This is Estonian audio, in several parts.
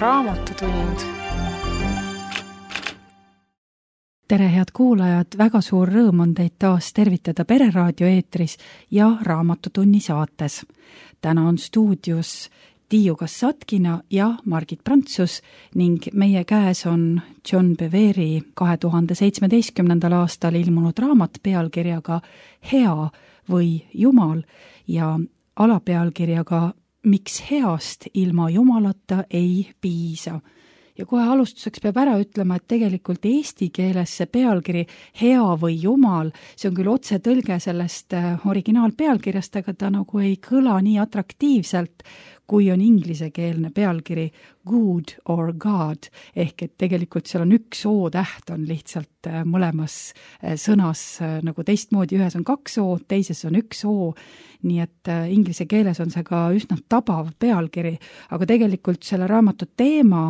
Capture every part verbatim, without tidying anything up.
raamatutund. tere, head kuulajad, väga suur rõõm on teid taas tervitada Pereraadio eetris ja Raamatutunni saates. Täna on stuudios Tiiu Kassatkina ja Margit Prantsus ning meie käes on John Bevere kahe tuhande seitsmeteistkümnendal aastal ilmunud raamat pealkirjaga Hea või Jumal ja alapealkirjaga Miks heast ilma Jumalata ei piisa. Ja kohe alustuseks peab ära ütlema, et tegelikult eesti keeles see pealkiri Hea või Jumal, see on küll otse tõlge sellest originaalpealkirjast, aga ta nagu ei kõla nii atraktiivselt, kui on inglisekeelne pealkiri Good or God, ehk et tegelikult seal on üks O-täht on lihtsalt mõlemas sõnas nagu teistmoodi, ühes on kaks O, teises on üks O, nii et inglise keeles on see ka üsna tabav pealkiri, aga tegelikult selle raamatu teema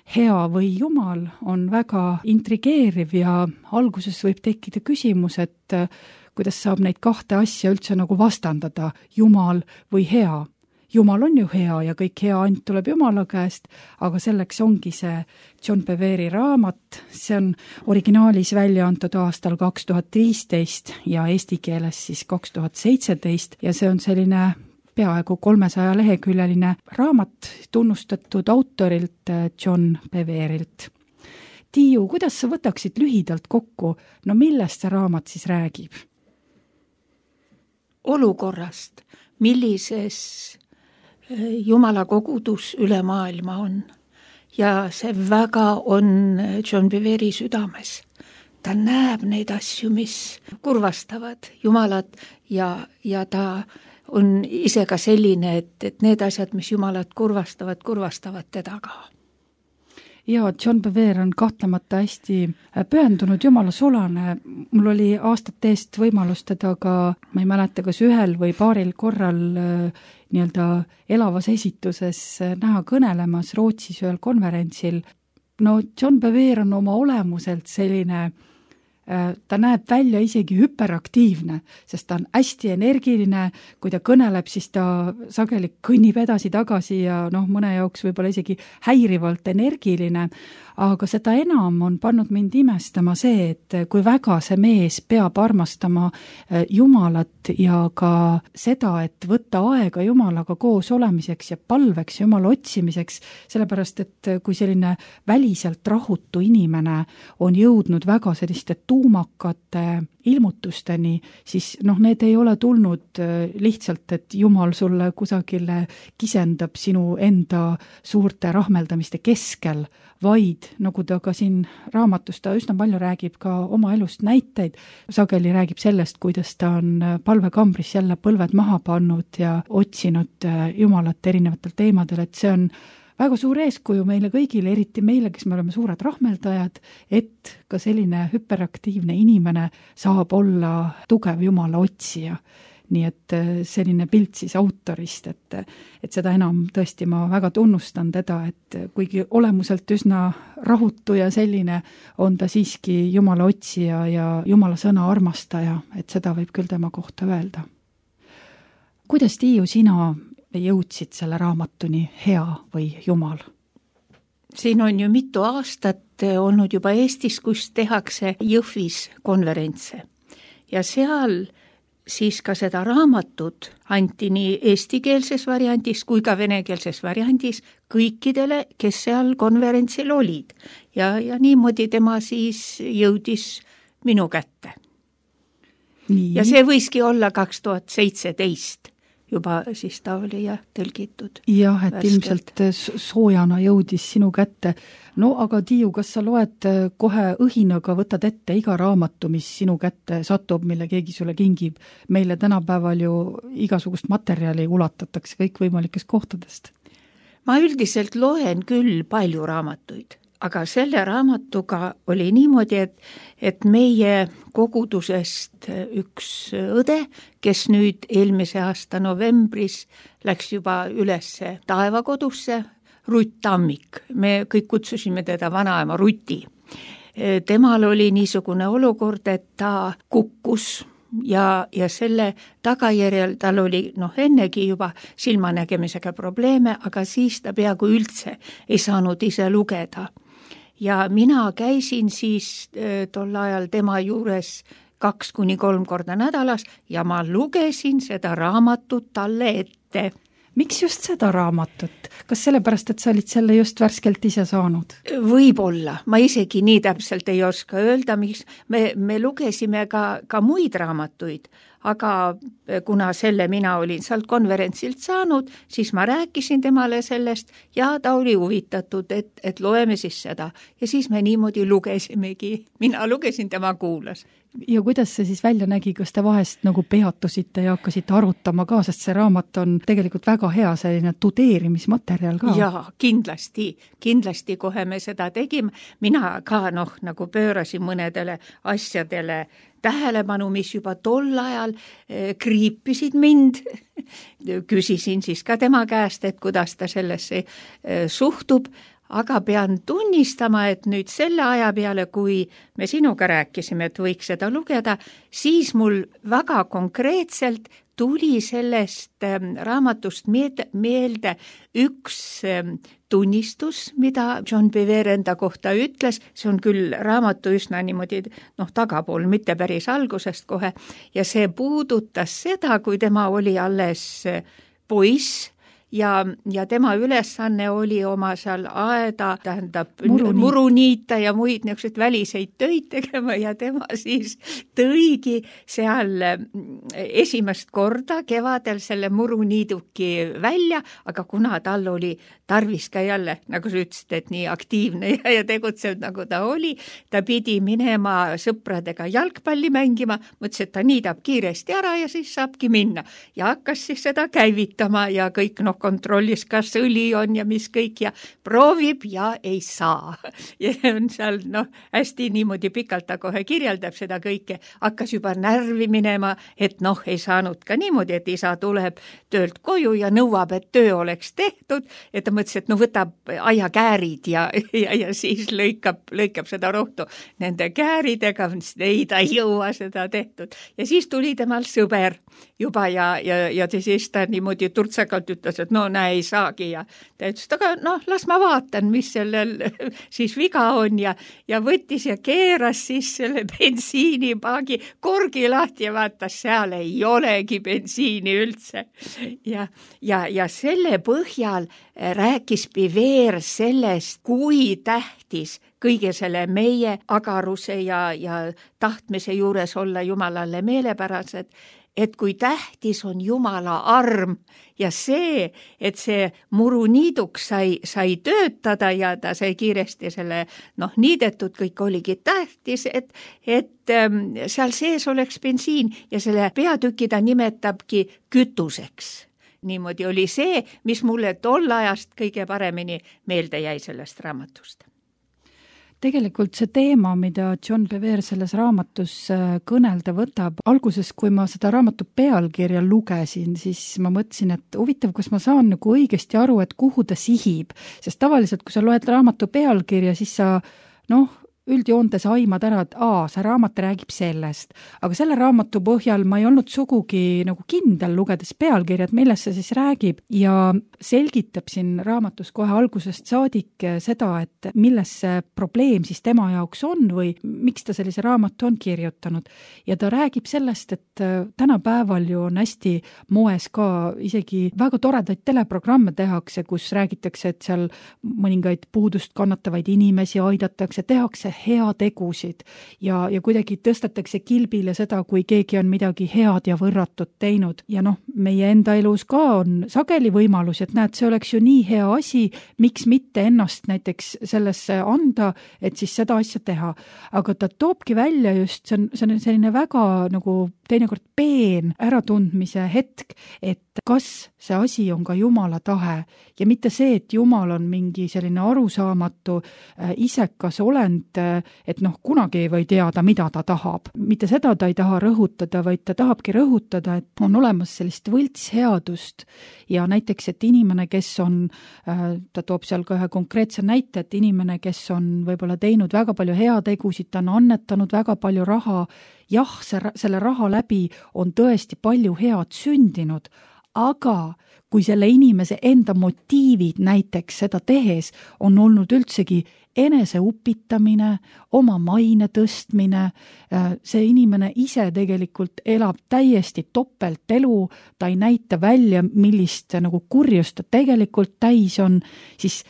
Hea või Jumal on väga intrigeeriv ja alguses võib tekkida küsimus, et kuidas saab neid kahte asja üldse nagu vastandada, Jumal või hea. Jumal on ju hea ja kõik hea ainult tuleb Jumala käest, aga selleks ongi see John Bevere raamat. See on originaalis välja antud aastal kaks tuhat viisteist ja eesti keeles siis kaks tuhat seitseteist ja see on selline peaaegu kolmesaja leheküljeline raamat tunnustatud autorilt John Beverilt. Tiiu, kuidas sa võtaksid lühidalt kokku, no millest see raamat siis räägib? Olukorrast, millises Jumala kogudus üle maailma on. Ja see väga on John Bevere südames. Ta näeb neid asju, mis kurvastavad Jumalat ja, ja ta on ise ka selline, et, et need asjad, mis Jumalat kurvastavad, kurvastavad teda ka. Ja John Bevere on kahtlemata hästi pühendunud Jumala sulane. Mul oli aastate eest võimalus teda ka, ma ei mäleta, kas ühel või paaril korral nii-öelda elavas esituses näha kõnelemas Rootsis ühel konverentsil. No John Bevere on oma olemuselt selline, ta näeb välja isegi hüperaktiivne, sest ta on hästi energiline, kui ta kõneleb, siis ta sageli kõnnib edasi-tagasi ja noh, mõne jaoks võib-olla isegi häirivalt energiline, aga seda enam on pannud mind imestama see, et kui väga see mees peab armastama Jumalat ja ka seda, et võtta aega Jumalaga koos olemiseks ja palveks Jumala otsimiseks, sellepärast et kui selline väliselt rahutu inimene on jõudnud väga selliste tuumakate ilmutusteni, siis noh, need ei ole tulnud lihtsalt, et Jumal sulle kusagile kisendab sinu enda suurte rahmeldamiste keskel, vaid nagu ta ka siin raamatus, ta üsna palju räägib ka oma elust näiteid, sageli räägib sellest, kuidas ta on palvekambris jälle põlved maha pannud ja otsinud Jumalat erinevatel teemadel, et see on väga suur eeskuju meile kõigile, eriti meile, kes me oleme suured rahmeldajad, et ka selline hüperaktiivne inimene saab olla tugev Jumala otsija. Nii et selline pilt siis autorist, et, et seda enam tõesti ma väga tunnustan teda, et kuigi olemuselt üsna rahutu ja selline, on ta siiski Jumala otsija ja Jumala sõna armastaja, et seda võib küll tema kohta öelda. Kuidas, Tiiu, sina jõudsid selle raamatuni Hea või Jumal? Siin on ju mitu aastat olnud juba Eestis, kus tehakse Jõhvis konverentse ja seal siis ka seda raamatut anti nii eestikeelses variandis kui ka venekeelses variandis kõikidele, kes seal konverentsil olid. Ja, ja niimoodi tema siis jõudis minu kätte. Nii. Ja see võiski olla kaks tuhat seitseteist. Juba siis ta oli ja tõlgitud. Jah, et värskelt. Ilmselt soojana jõudis sinu kätte. No aga Tiiu, kas sa loed kohe õhinaga, võtad ette iga raamatu, mis sinu kätte satub, mille keegi sulle kingib? Meile tänapäeval ju igasugust materjali ulatatakse kõikvõimalikest kohtadest. Ma üldiselt loen küll palju raamatuid, aga selle raamatuga oli niimoodi, et, et meie kogudusest üks õde, kes nüüd eelmise aasta novembris läks juba ülesse taevakodusse, Rutt Tammik, me kõik kutsusime teda vanaema Ruti. Temal oli niisugune olukord, et ta kukkus ja, ja selle tagajärjel tal oli noh ennegi juba silmanägemisega probleeme, aga siis ta peaaegu üldse ei saanud ise lugeda. Ja mina käisin siis tol ajal tema juures kaks kuni kolm korda nädalas ja ma lugesin seda raamatut talle ette. Miks just seda raamatut? Kas sellepärast, et sa olid selle just värskelt ise saanud? Võib-olla, ma isegi nii täpselt ei oska öelda, miks me, me lugesime ka, ka muid raamatuid, aga kuna selle mina olin sealt konverentsilt saanud, siis ma rääkisin temale sellest ja ta oli huvitatud, et, et loeme siis seda. Ja siis me niimoodi lugesimegi. Mina lugesin, tema kuulas. Ja kuidas see siis välja nägi, kas te vahest nagu peatusite ja hakkasite arutama ka, sest see raamat on tegelikult väga hea selline tudeerimismaterjal ka. Jaa, kindlasti, kindlasti kohe me seda tegime. Mina ka noh, nagu pöörasin mõnedele asjadele tähelepanu, mis juba tol ajal kriipisid mind. Küsisin siis ka tema käest, et kuidas ta sellesse suhtub. Aga pean tunnistama, et nüüd selle aja peale, kui me sinuga rääkisime, et võiks seda lugeda, siis mul väga konkreetselt tuli sellest raamatust meelde üks tunnistus, mida John Bevere enda kohta ütles. See on küll raamatu üsna niimoodi noh, tagapool, mitte päris algusest kohe. Ja see puudutas seda, kui tema oli alles poiss, Ja, ja tema ülesanne oli oma seal aeda, tähendab muruniita, muruniita ja muid niisuguseid väliseid töid tegema ja tema siis tõigi seal esimest korda kevadel selle muruniiduki välja, aga kuna tal oli tarvis ka jälle, nagu sa ütlesid, et nii aktiivne ja, ja tegutsev, nagu ta oli, ta pidi minema sõpradega jalgpalli mängima, mõtles, et ta niidab kiiresti ära ja siis saabki minna. Ja hakkas siis seda käivitama ja kõik noh, kontrollis, kas õli on ja mis kõik ja proovib ja ei saa. Ja on seal noh, hästi niimoodi pikalt ta kohe kirjeldab seda kõike, hakkas juba närvi minema, et noh, ei saanud ka niimoodi, et isa tuleb töölt koju ja nõuab, et töö oleks tehtud, et ta mõtles, et no võtab aiakäärid ja, ja, ja siis lõikab, lõikab seda rohtu nende kääridega, ei ta ei jõua seda tehtud. Ja siis tuli temal sõber juba ja, ja, ja siis ta niimoodi turtsakalt ütles, et no näe, ei saagi ja ta ütles, aga noh, las ma vaatan, mis sellel siis viga on ja, ja võttis ja keeras siis selle bensiinipaagi korgi lahti ja vaatas, seal ei olegi bensiini üldse. Ja, ja, ja selle põhjal rääkis Bevere sellest, kui tähtis kõige selle meie agaruse ja, ja tahtmise juures olla Jumalale meelepärased, et kui tähtis on Jumala arm ja see, et see muruniiduks sai, sai töötada ja ta sai kiiresti selle noh, niidetud, kõik oligi tähtis, et, et ähm, seal sees oleks bensiin ja selle peatüki ta nimetabki kütuseks. Niimoodi oli see, mis mulle tol ajast kõige paremini meelde jäi sellest raamatust. Tegelikult see teema, mida John Bevere selles raamatus kõnelda võtab, alguses, kui ma seda raamatu pealkirja lugesin, siis ma mõtlesin, et huvitav, kas ma saan nagu õigesti aru, et kuhu ta sihib, sest tavaliselt, kui sa loed raamatu pealkirja, siis sa noh, üldjoontes aimad ära, et aa, see raamat räägib sellest. Aga selle raamatu põhjal ma ei olnud sugugi nagu kindel lugedes pealkirjad, millest see siis räägib ja selgitab siin raamatus kohe algusest saadik seda, et milles see probleem siis tema jaoks on või miks ta sellise raamatu on kirjutanud. Ja ta räägib sellest, et tänapäeval ju on hästi moes ka isegi väga toredaid teleprogramme tehakse, kus räägitakse, et seal mõningaid puudust kannatavaid inimesi aidatakse, tehakse hea tegusid ja, ja kuidagi tõstetakse kilbile seda, kui keegi on midagi head ja võrratut teinud. Ja noh, meie enda elus ka on sageli võimalus, et näed, see oleks ju nii hea asi, miks mitte ennast näiteks sellesse anda, et siis seda asja teha. Aga ta toobki välja just, see on, see on selline väga nagu teinekord peen äratundmise hetk, et kas see asi on ka Jumala tahe ja mitte see, et Jumal on mingi selline arusaamatu äh, isekas olend, et noh, kunagi ei või teada, mida ta tahab. Mitte seda ta ei taha rõhutada, vaid ta tahabki rõhutada, et on olemas sellist võltsheadust ja näiteks, et inimene, kes on, ta toob seal ka ühe konkreetse näite, et inimene, kes on võib-olla teinud väga palju heategusid, ta on annetanud väga palju raha, jah, see, selle raha läbi on tõesti palju head sündinud, aga kui selle inimese enda motiivid näiteks seda tehes on olnud üldsegi enese upitamine, oma maine tõstmine, see inimene ise tegelikult elab täiesti topeltelu, ta ei näita välja, millist nagu kurjust ta tegelikult täis on, siis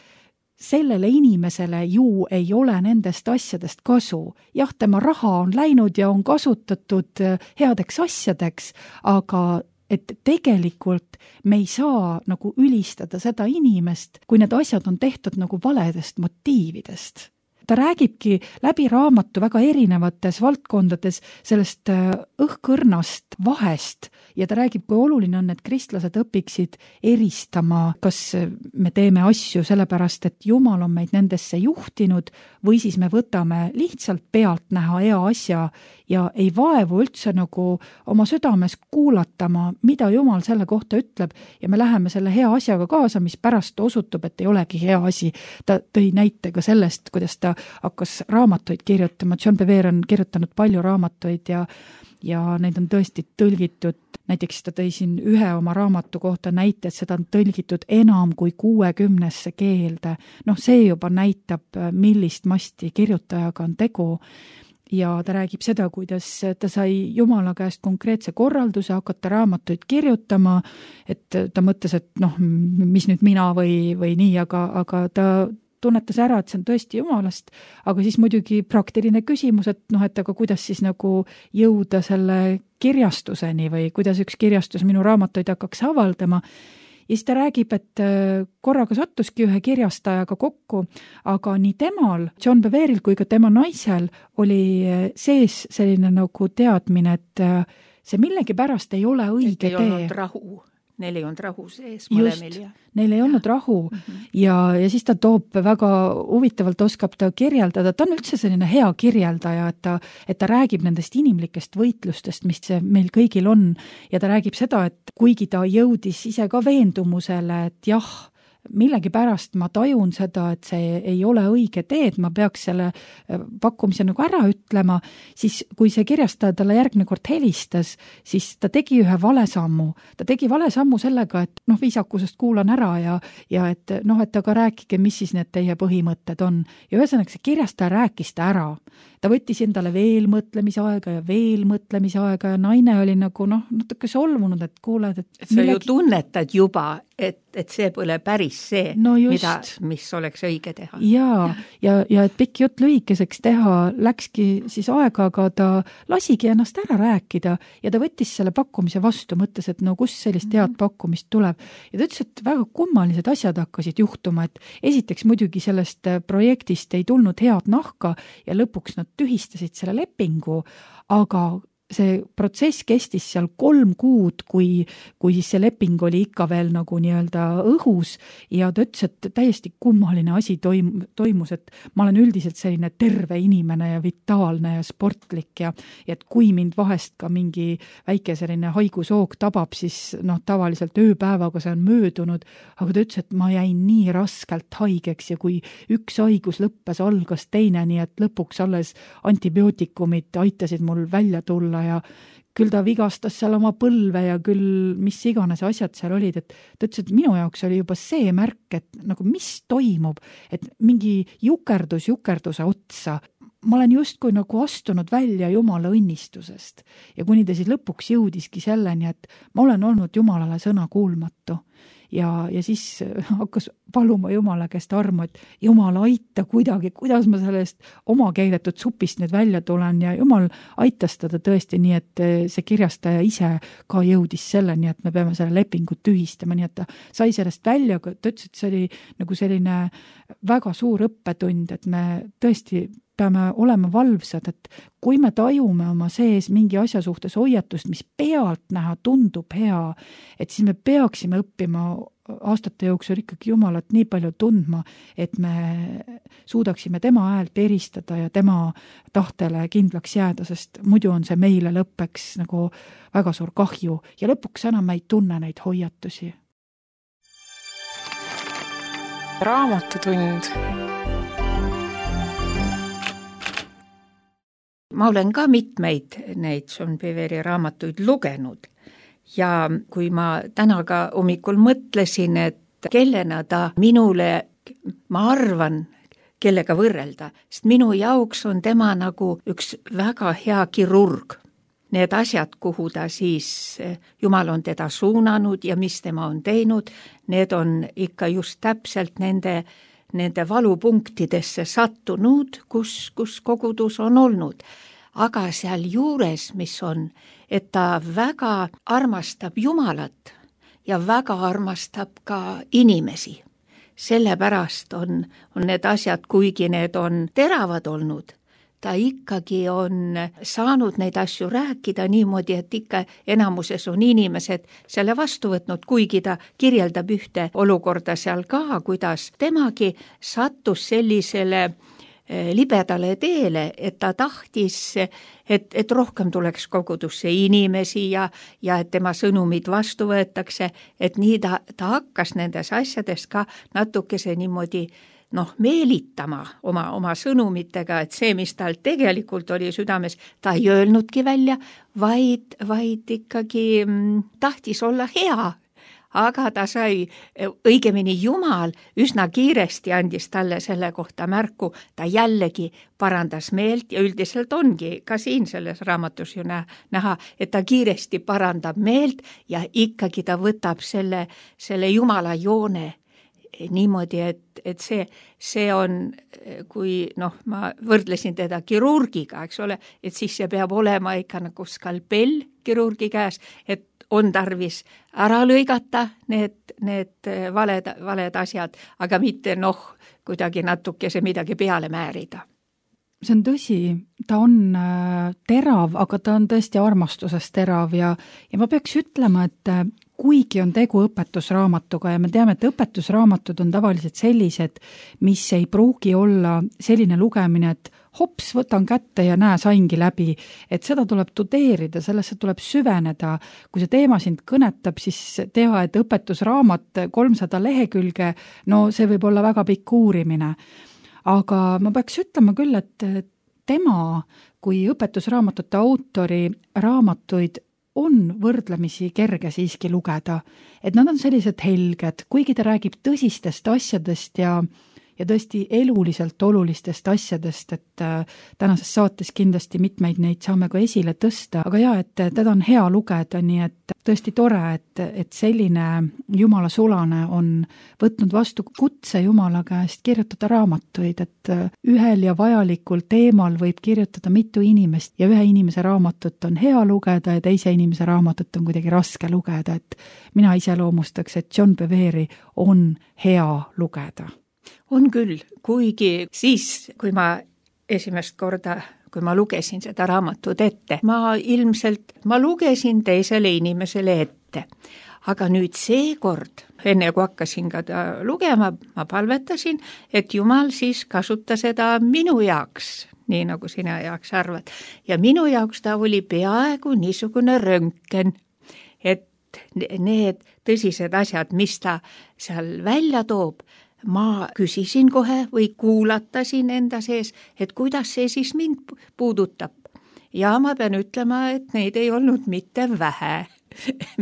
sellele inimesele ju ei ole nendest asjadest kasu. Jah, tema raha on läinud ja on kasutatud headeks asjadeks, aga et tegelikult me ei saa nagu ülistada seda inimest, kui need asjad on tehtud nagu valedest motiividest. Ta räägibki läbi raamatu väga erinevates valdkondades sellest õhkõrnast vahest ja ta räägib, kui oluline on, et kristlased õpiksid eristama, kas me teeme asju sellepärast, et Jumal on meid nendesse juhtinud või siis me võtame lihtsalt pealt näha hea asja ja ei vaevu üldse nagu oma südames kuulatama, mida Jumal selle kohta ütleb ja me läheme selle hea asjaga kaasa, mis pärast osutub, et ei olegi hea asi. Ta tõi näite ka sellest, kuidas ta hakkas raamatuid kirjutama. John Bevere on kirjutanud palju raamatuid ja, ja neid on tõesti tõlgitud. Näiteks ta tõi siin ühe oma raamatu kohta näite, et seda on tõlgitud enam kui kuuekümnesse keelde. Noh, see juba näitab, millist masti kirjutajaga on tegu. Ja ta räägib seda, kuidas ta sai Jumala käest konkreetse korralduse hakata raamatuid kirjutama, et ta mõtles, et noh, mis nüüd mina või, või nii, aga, aga ta tunnetas ära, et see on tõesti Jumalast, aga siis muidugi praktiline küsimus, et noh, et aga kuidas siis nagu jõuda selle kirjastuseni või kuidas üks kirjastus minu raamatuid hakkaks avaldama. Ja siis ta räägib, et korraga sattuski ühe kirjastajaga kokku, aga nii temal, John Beveril kui ka tema naisel oli sees selline nagu teadmine, et see millegi pärast ei ole õige tee. Ei olnud rahu. Neil ei olnud rahu sees mõlemil. Just, neil ei olnud rahu mm-hmm. ja, ja siis ta toob väga huvitavalt, oskab ta kirjeldada, ta on üldse selline hea kirjeldaja, et ta, et ta räägib nendest inimlikest võitlustest, mis see meil kõigil on ja ta räägib seda, et kuigi ta jõudis ise ka veendumusele, et jah, millegi pärast ma tajun seda, et see ei ole õige tee, et ma peaks selle pakkumise nagu ära ütlema, siis kui see kirjastaja talle järgmine kord helistas, siis ta tegi ühe vale sammu. Ta tegi vale sammu sellega, et noh, viisakusest kuulan ära ja, ja et noh, et aga rääkige, mis siis need teie põhimõtted on. Ja ühesõnaga see kirjastaja rääkis ta ära. Ta võttis endale veel mõtlemise aega ja veel mõtlemise aega ja naine oli nagu noh, natuke solvunud, et kuuled, et, et sa millegi... ju tunnetad juba, et, et see pole päris see, no mida, mis oleks õige teha. Ja, ja, ja et pikk jutt lühikeseks teha, läkski siis aega, aga ta lasigi ennast ära rääkida ja ta võttis selle pakkumise vastu, mõtles, et no kus sellist head pakkumist tuleb. Ja ta ütles, et väga kummalised asjad hakkasid juhtuma, et esiteks muidugi sellest projektist ei tulnud head nahka ja lõpuks nad tühistasid selle lepingu, aga see protsess kestis seal kolm kuud, kui, kui siis see leping oli ikka veel nagu nii-öelda õhus ja ta ütles, et täiesti kummaline asi toim, toimus, et ma olen üldiselt selline terve inimene ja vitaalne ja sportlik ja, ja et kui mind vahest ka mingi väike selline haigushoog tabab, siis noh, tavaliselt ööpäevaga see on möödunud, aga ta ütles, et ma jäin nii raskelt haigeks ja kui üks haigus lõppes, algas teine, nii et lõpuks alles antibiootikumid aitasid mul välja tulla ja küll ta vigastas seal oma põlve ja küll mis iganes asjad seal olid, et ta ütles, et minu jaoks oli juba see märk, et nagu mis toimub, et mingi jukerdus jukerduse otsa. Ma olen justkui nagu astunud välja Jumala õnnistusest ja kuni ta siis lõpuks jõudiski selleni, et ma olen olnud Jumalale sõna kuulmatu. Ja, ja siis hakkas paluma Jumala käest armu, et Jumal aita kuidagi, kuidas ma sellest oma keeletud supist nüüd välja tulen ja Jumal aitas teda tõesti nii, et see kirjastaja ise ka jõudis selleni, et me peame selle lepingut tühistama, nii et ta sai sellest välja, aga ta ütles, et see oli nagu selline väga suur õppetund, et me tõesti peame olema valvsad, et kui me tajume oma sees mingi asja suhtes hoiatust, mis pealt näha tundub hea, et siis me peaksime õppima aastate jooksul ikkagi Jumalat nii palju tundma, et me suudaksime tema häält eristada ja tema tahtele kindlaks jääda, sest muidu on see meile lõppeks nagu väga suur kahju ja lõpuks enam ei tunne neid hoiatusi. Raamatutund. Ma olen ka mitmeid neid John Beveri raamatuid lugenud ja kui ma täna ka hommikul mõtlesin, et kellena ta minule, ma arvan, kellega võrrelda, sest minu jaoks on tema nagu üks väga hea kirurg. Need asjad, kuhu ta siis, Jumal on teda suunanud ja mis tema on teinud, need on ikka just täpselt nende, nende valupunktidesse sattunud, kus, kus kogudus on olnud. Aga seal juures, mis on, et ta väga armastab Jumalat ja väga armastab ka inimesi. Sellepärast on, on need asjad, kuigi need on teravad olnud, ta ikkagi on saanud neid asju rääkida niimoodi, et ikka enamuses on inimesed selle vastu võtnud, kuigi ta kirjeldab ühte olukorda seal ka, kuidas temagi sattus sellisele libedale teele, et ta tahtis, et, et rohkem tuleks kogudusse inimesi ja, ja et tema sõnumid vastu võetakse, et nii ta, ta hakkas nendes asjades ka natukese niimoodi noh, meelitama oma, oma sõnumitega, et see, mis tal tegelikult oli südames, ta ei öelnudki välja, vaid, vaid ikkagi mm, tahtis olla hea. Aga ta sai, õigemini Jumal üsna kiiresti andis talle selle kohta märku, ta jällegi parandas meelt ja üldiselt ongi ka siin selles raamatus ju näha, et ta kiiresti parandab meelt ja ikkagi ta võtab selle, selle Jumala joone niimoodi, et, et see, see on, kui noh, ma võrdlesin teda kirurgiga, eks ole, et siis see peab olema ikka nagu skalpell kirurgi käes, et on tarvis ära lõigata need, need valed, valed asjad, aga mitte noh, kuidagi natukese midagi peale määrida. See on tõsi, ta on terav, aga ta on tõesti armastusest terav ja, ja ma peaks ütlema, et kuigi on tegu õpetusraamatuga ja me teame, et õpetusraamatud on tavaliselt sellised, mis ei pruugi olla selline lugemine, et hops, võtan kätte ja näe, saingi läbi, et seda tuleb tudeerida, sellesse tuleb süveneda. Kui see teema sind kõnetab, siis tea, et õpetusraamat kolmsada lehekülge, no see võib olla väga pikk uurimine. Aga ma peaks ütlema küll, et tema kui õpetusraamatute autori raamatuid on võrdlemisi kerge siiski lugeda, et nad on sellised helged, kuigi ta räägib tõsistest asjadest ja, ja tõesti eluliselt olulistest asjadest, et tänases saates kindlasti mitmeid neid saame ka esile tõsta, aga jaa, et teda on hea lugeda, nii et tõesti tore, et, et selline Jumala sulane on võtnud vastu kutse Jumala käest kirjutada raamatuid, et ühel ja vajalikul teemal võib kirjutada mitu inimest ja ühe inimese raamatut on hea lugeda ja teise inimese raamatut on kuidagi raske lugeda, et mina iseloomustaks, et John Beveri on hea lugeda. On küll, kuigi siis, kui ma esimest korda kui ma lugesin seda raamatut ette, ma ilmselt, ma lugesin teisele inimesele ette. Aga nüüd seekord, enne kui hakkasin ka lugema, ma palvetasin, et Jumal siis kasuta seda minu jaoks, nii nagu sina jaoks arvad. Ja minu jaoks ta oli peaaegu niisugune röntgen, et need tõsised asjad, mis ta seal välja toob, ma küsisin kohe või kuulatasin enda sees, et kuidas see siis mind puudutab. Ja ma pean ütlema, et neid ei olnud mitte vähe,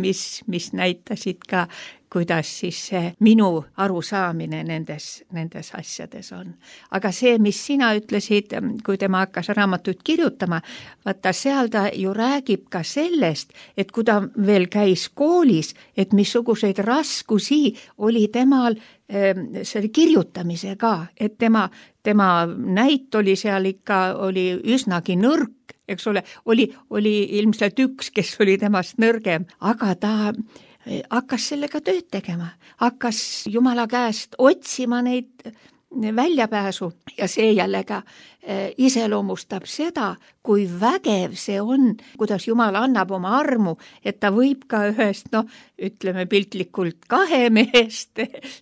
mis, mis näitasid ka, kuidas siis see minu arusaamine nendes, nendes asjades on. Aga see, mis sina ütlesid, kui tema hakkas raamatut kirjutama, vaata seal ta ju räägib ka sellest, et kui ta veel käis koolis, et missuguseid raskusi oli temal selle kirjutamise ka, et tema, tema näit oli seal ikka, oli üsnagi nõrk, eks ole, oli, oli ilmselt üks, kes oli temast nõrgem, aga ta hakkas sellega tööd tegema, hakkas Jumala käest otsima neid väljapääsu ja see jällegi iseloomustab seda, kui vägev see on, kuidas Jumal annab oma armu, et ta võib ka ühest, noh, ütleme piltlikult kahe mehest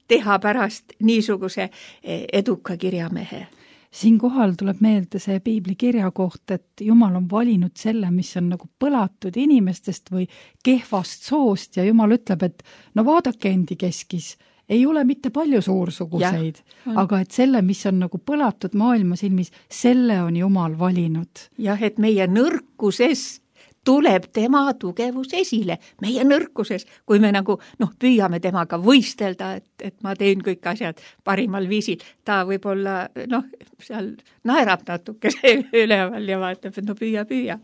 teha pärast niisuguse eduka kirjamehe. Siinkohal tuleb meelde see piibli kirja koht, et Jumal on valinud selle, mis on nagu põlatud inimestest või kehvast soost ja Jumal ütleb, et no vaadake endi keskis, ei ole mitte palju suursuguseid, aga et selle, mis on nagu põlatud maailma silmis, selle on Jumal valinud. Jah, et meie nõrkuses tuleb tema tugevus esile, meie nõrkuses, kui me nagu noh, püüame temaga võistelda, et, et ma teen kõik asjad parimal viisil. Ta võib-olla noh, seal naerab natuke üleval ja vaatab, et no püüa, püüa.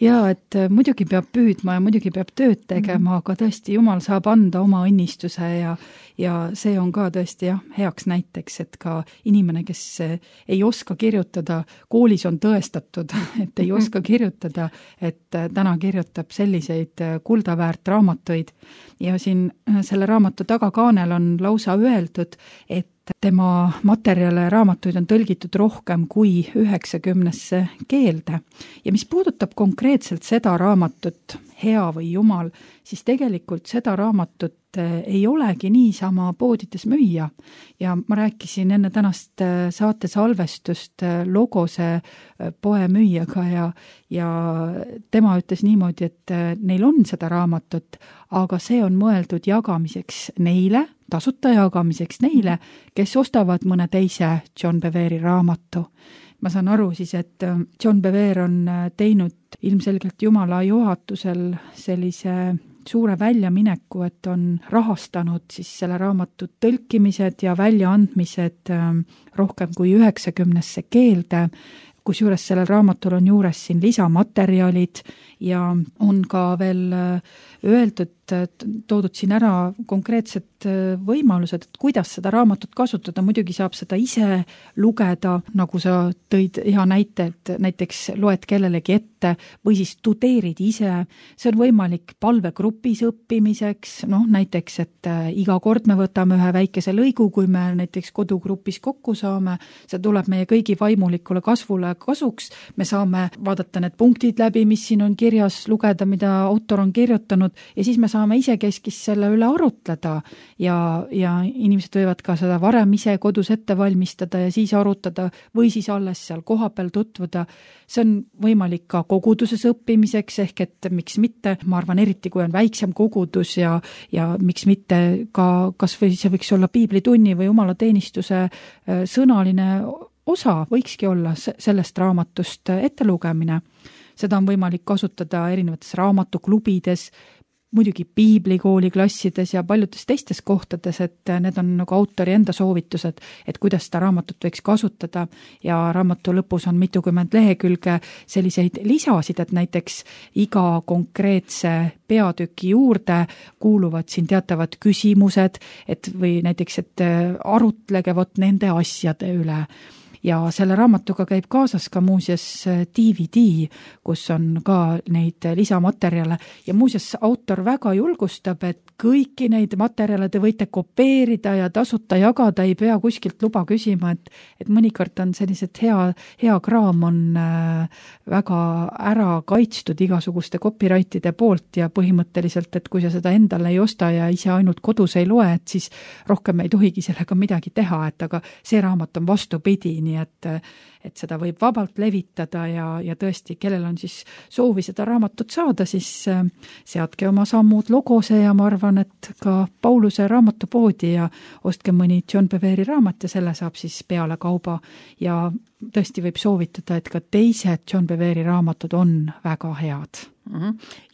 Ja, et muidugi peab püüdma ja muidugi peab tööd tegema, aga tõesti Jumal saab anda oma õnnistuse ja, ja see on ka tõesti jah, heaks näiteks, et ka inimene, kes ei oska kirjutada, koolis on tõestatud, et ei oska kirjutada, et täna kirjutab selliseid kuldaväärt raamatuid ja siin selle raamatu tagakaanel on lausa öeldud, et tema materjale raamatuid on tõlgitud rohkem kui üheksakümnesse keelde. Ja mis puudutab konkreetselt seda raamatut, Hea või Jumal, siis tegelikult seda raamatut ei olegi niisama poodides müüa. Ja ma rääkisin enne tänast saate salvestust Logose poe müüjaga ja, ja tema ütles niimoodi, et neil on seda raamatut, aga see on mõeldud jagamiseks neile, tasuta jagamiseks neile, kes ostavad mõne teise John Bevere raamatu. Ma saan aru siis, et John Bevere on teinud ilmselgelt Jumala juhatusel sellise suure väljamineku, et on rahastanud siis selle raamatu tõlkimised ja väljaandmised rohkem kui üheksakümnesse keelde, kusjuures sellel raamatul on juures siin lisamaterjalid ja on ka veel öeldud, toodud siin ära konkreetsed võimalused, et kuidas seda raamatut kasutada. Muidugi saab seda ise lugeda, nagu sa tõid hea näite, et näiteks loed kellelegi ette või siis tudeerid ise. See on võimalik palvegrupis õppimiseks, noh näiteks, et iga kord me võtame ühe väikese lõigu, kui me näiteks kodugrupis kokku saame, see tuleb meie kõigi vaimulikule kasvule kasuks, me saame vaadata need punktid läbi, mis siin on kirjas, lugeda, mida autor on kirjutanud ja siis me saame ise keskis selle üle arutleda ja, ja inimesed võivad ka seda varem ise kodus ette valmistada ja siis arutada või siis alles seal kohapeal tutvuda. See on võimalik ka koguduses õppimiseks, ehk et miks mitte, ma arvan eriti, kui on väiksem kogudus ja, ja miks mitte ka, kas või see võiks olla piiblitunni või jumalateenistuse sõnaline osa võikski olla sellest raamatust ettelugemine. Seda on võimalik kasutada erinevates raamatuklubides, muidugi piiblikooli klassides ja paljudes teistes kohtades, et need on nagu autori enda soovitused, et kuidas seda raamatut võiks kasutada ja raamatu lõpus on mitukümmend lehekülge selliseid lisasid, et näiteks iga konkreetse peatüki juurde kuuluvad siin teatavad küsimused, et või näiteks, et arutlege vot nende asjade üle. Ja selle raamatuga käib kaasas ka muuseas D V D, kus on ka neid lisamaterjale ja muuseas autor väga julgustab, et kõiki neid materjale te võite kopeerida ja tasuta jagada, ei pea kuskilt luba küsima, et, et mõnikord on sellised hea, hea kraam on väga ära kaitstud igasuguste copyrightide poolt ja põhimõtteliselt, et kui sa seda endale ei osta ja ise ainult kodus ei loe, et siis rohkem ei tohigi sellega midagi teha, et aga see raamat on vastupidi, nii et, et seda võib vabalt levitada ja, ja tõesti, kellel on siis soovi seda raamatut saada, siis seadke oma sammud Logose ja ma arvan, et ka Pauluse raamatupoodi ja ostke mõni John Bevere raamat ja selle saab siis peale kauba ja tõesti võib soovitada, et ka teised John Bevere raamatud on väga head.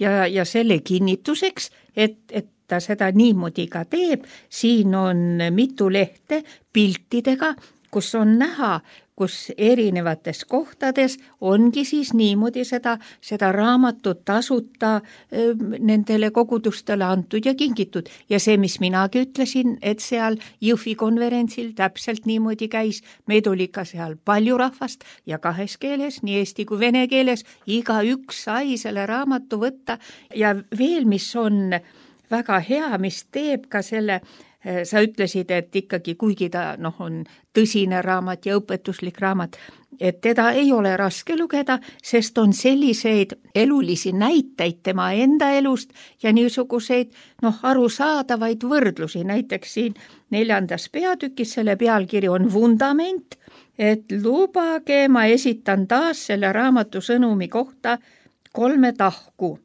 Ja, ja selle kinnituseks, et, et ta seda niimoodi ka teeb, siin on mitu lehte piltidega, kus on näha, kus erinevates kohtades ongi siis niimoodi seda, seda raamatut tasuta nendele kogudustele antud ja kingitud. Ja see, mis minagi ütlesin, et seal Jõhvi konverentsil täpselt niimoodi käis, meid oli ka seal palju rahvast ja kahes keeles, nii eesti kui vene keeles, iga üks sai selle raamatu võtta ja veel, mis on väga hea, mis teeb ka selle sa ütlesid, et ikkagi kuigi ta noh, on tõsine raamat ja õpetuslik raamat, et teda ei ole raske lugeda, sest on selliseid elulisi näiteid tema enda elust ja niisuguseid noh, arusaadavaid võrdlusi. Näiteks siin neljandas peatükis selle pealkiri on vundament, et lubage, ma esitan taas selle raamatu sõnumi kohta kolme tahku.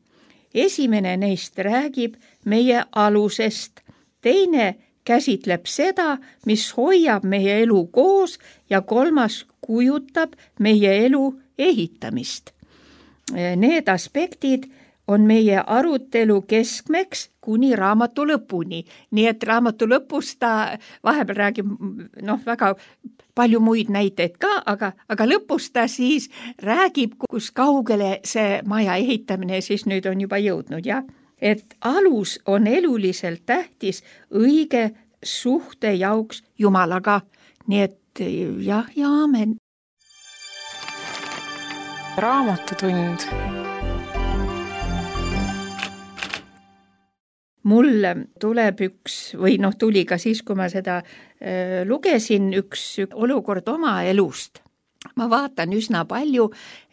Esimene neist räägib meie alusest, teine käsitleb seda, mis hoiab meie elu koos ja kolmas kujutab meie elu ehitamist. Need aspektid on meie arutelu keskmeks kuni raamatu lõpuni. Nii et raamatu lõpus ta vahepeal räägib noh, väga palju muid näiteid ka, aga, aga lõpus ta siis räägib, kus kaugele see maja ehitamine siis nüüd on juba jõudnud, jah. Et alus on eluliselt tähtis õige suhte jauks Jumalaga. Nii et jah ja aamen. Raamatutund. Mul tuleb üks, või noh, tuli ka siis, kui ma seda äh, lugesin, üks, üks olukord oma elust. Ma vaatan üsna palju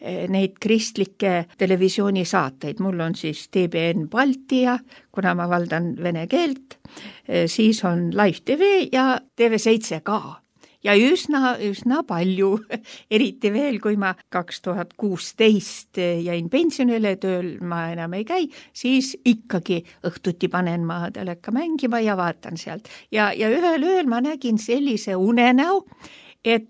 neid kristlikke televisioonisaateid. Mul on siis T B N Baltia, kuna ma valdan vene keelt, siis on Live T V ja T V seitse ka. Ja üsna, üsna palju, eriti veel, kui ma kaks tuhat kuusteist jäin pensionile, tööl ma enam ei käi, siis ikkagi õhtuti panen ma teleka mängima ja vaatan sealt. Ja, ja ühel ööl ma nägin sellise unenäo, et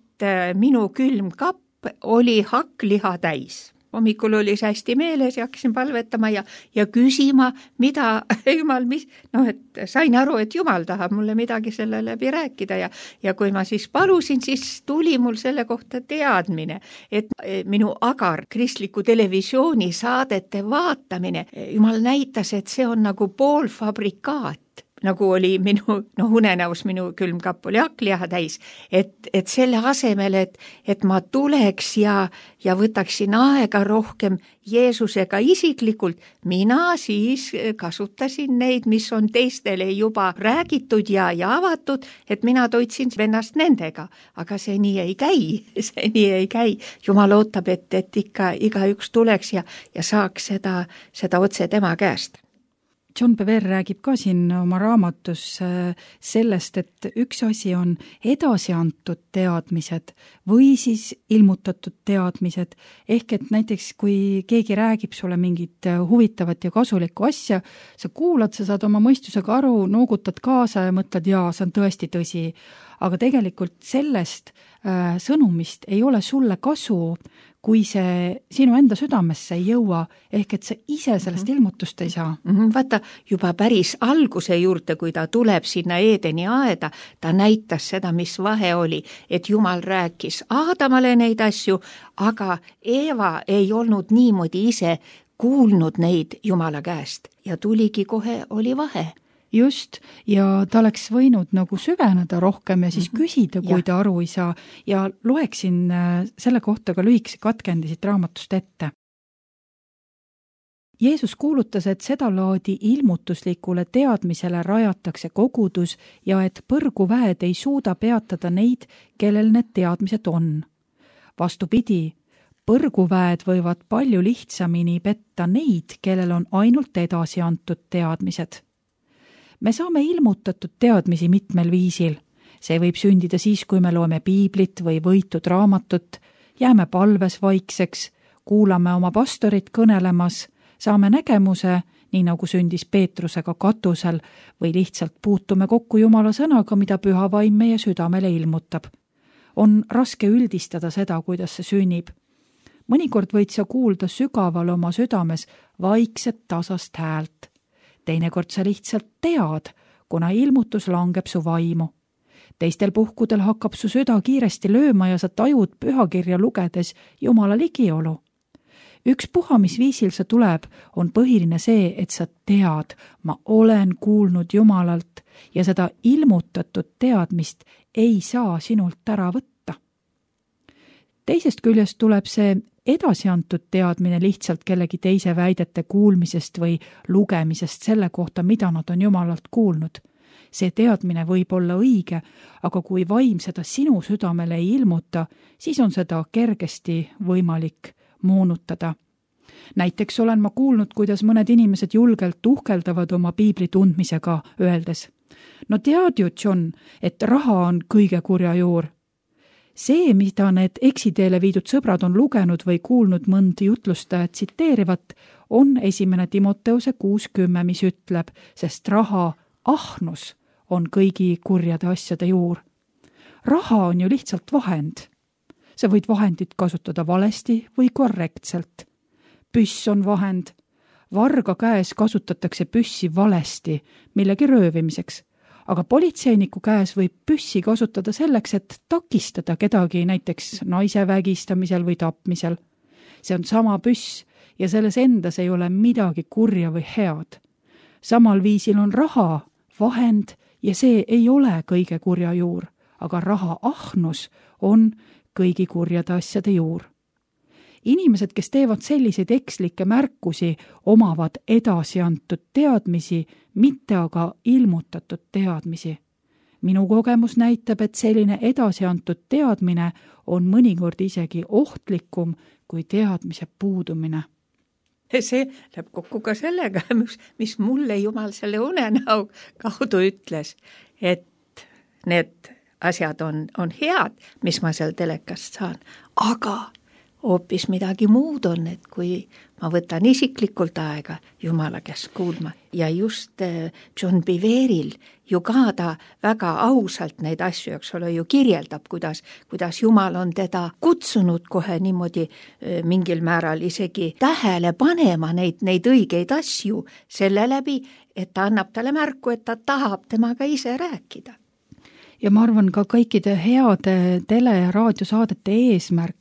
minu külmkapp oli hakkliha täis. Hommikul oli see hästi meeles ja hakkasin palvetama ja, ja küsima, mida Jumal, mis, noh, et sain aru, et Jumal tahab mulle midagi selle läbi rääkida ja, ja kui ma siis palusin, siis tuli mul selle kohta teadmine, et minu agar kristliku televisiooni saadete vaatamine, Jumal näitas, et see on nagu poolfabrikaat. Nagu oli minu, noh, unenäos minu külmkapp oli hakkliha täis, et, et selle asemel, et, et ma tuleks ja, ja võtaksin aega rohkem Jeesusega isiklikult, mina siis kasutasin neid, mis on teistele juba räägitud ja, ja avatud, et mina toitsin ennast nendega, aga see nii ei käi, see nii ei käi. Jumal ootab, et, et ikka igaüks tuleks ja, ja saaks seda, seda otse tema käest. John Bevere räägib ka siin oma raamatus sellest, et üks asi on edasi antud teadmised või siis ilmutatud teadmised, ehk et näiteks kui keegi räägib sulle mingit huvitavat ja kasulikku asja, sa kuulad, sa saad oma mõistusega aru, noogutad kaasa ja mõtled, jaa, see on tõesti tõsi, aga tegelikult sellest äh, sõnumist ei ole sulle kasu, kui see sinu enda südamesse ei jõua, ehk et sa ise sellest mm-hmm. ilmutust ei saa. Mm-hmm. Vaata, juba päris alguse juurde, kui ta tuleb sinna Eedeni aeda, ta näitas seda, mis vahe oli, et Jumal rääkis Aadamale neid asju, aga Eeva ei olnud niimoodi ise kuulnud neid Jumala käest ja tuligi kohe, oli vahe. Just, ja ta oleks võinud nagu süveneda rohkem ja siis mm-hmm. küsida, kui ja. ta aru ei saa, ja loeksin selle kohta ka lühikese katkendi siit raamatust ette. Jeesus kuulutas, et seda laadi ilmutuslikule teadmisele rajatakse kogudus ja et põrguväed ei suuda peatada neid, kellel need teadmised on. Vastupidi, põrguväed võivad palju lihtsamini petta neid, kellel on ainult edasi antud teadmised. Me saame ilmutatud teadmisi mitmel viisil. See võib sündida siis, kui me loeme piiblit või võitud raamatut, jääme palves vaikseks, kuulame oma pastorit kõnelemas, saame nägemuse, nii nagu sündis Peetrusega katusel, või lihtsalt puutume kokku Jumala sõnaga, mida püha vaim meie südamele ilmutab. On raske üldistada seda, kuidas see sünnib. Mõnikord võid sa kuulda sügaval oma südames vaikset tasast häält. Teinekord sa lihtsalt tead, kuna ilmutus langeb su vaimu. Teistel puhkudel hakkab su süda kiiresti lööma ja sa tajud pühakirja lugedes Jumala ligiolu. Üks puha, mis viisil sa tuleb, on põhiline see, et sa tead, ma olen kuulnud Jumalalt ja seda ilmutatud teadmist ei saa sinult ära võtta. Teisest küljest tuleb see edasi antud teadmine lihtsalt kellegi teise väidete kuulmisest või lugemisest selle kohta, mida nad on Jumalalt kuulnud. see teadmine võib olla õige, aga kui vaim seda sinu südamele ei ilmuta, siis on seda kergesti võimalik moonutada. Näiteks olen ma kuulnud, kuidas mõned inimesed julgelt uhkeldavad oma piibli tundmisega, öeldes: no tead ju, John, et raha on kõige kurja juur. See, mida need eksiteele viidud sõbrad on lugenud või kuulnud mõnd jutlustajat tsiteerivat, on esimene Timoteuse kuus kümme, mis ütleb, sest raha ahnus on kõigi kurjade asjade juur. Raha on ju lihtsalt vahend. Sa võid vahendit kasutada valesti või korrektselt. Püss on vahend. Varga käes kasutatakse püssi valesti millegi röövimiseks, aga politseiniku käes võib püssi kasutada selleks, et takistada kedagi näiteks naise vägistamisel või tapmisel. See on sama püss ja selles endas ei ole midagi kurja või head. Samal viisil on raha vahend ja see ei ole kõige kurja juur, aga raha ahnus on kõigi kurjade asjade juur. Inimesed, kes teevad selliseid ekslikke märkusi, omavad edasi antud teadmisi, mitte aga ilmutatud teadmisi. Minu kogemus näitab, et selline edasi antud teadmine on mõnikord isegi ohtlikum kui teadmise puudumine. See läheb kokku ka sellega, mis, mis mulle Jumal selle unenäo kaudu ütles, et need asjad on, on head, mis ma seal telekast saan, aga hoopis midagi muud on, et kui ma võtan isiklikult aega Jumala käest kuulma ja just John Beveril ju ka ta väga ausalt neid asju, eks ole, ju kirjeldab, kuidas, kuidas Jumal on teda kutsunud kohe niimoodi mingil määral isegi tähele panema neid, neid õigeid asju selle läbi, et ta annab talle märku, et ta tahab temaga ise rääkida. Ja ma arvan ka kõikide heade tele- ja raadiosaadete eesmärk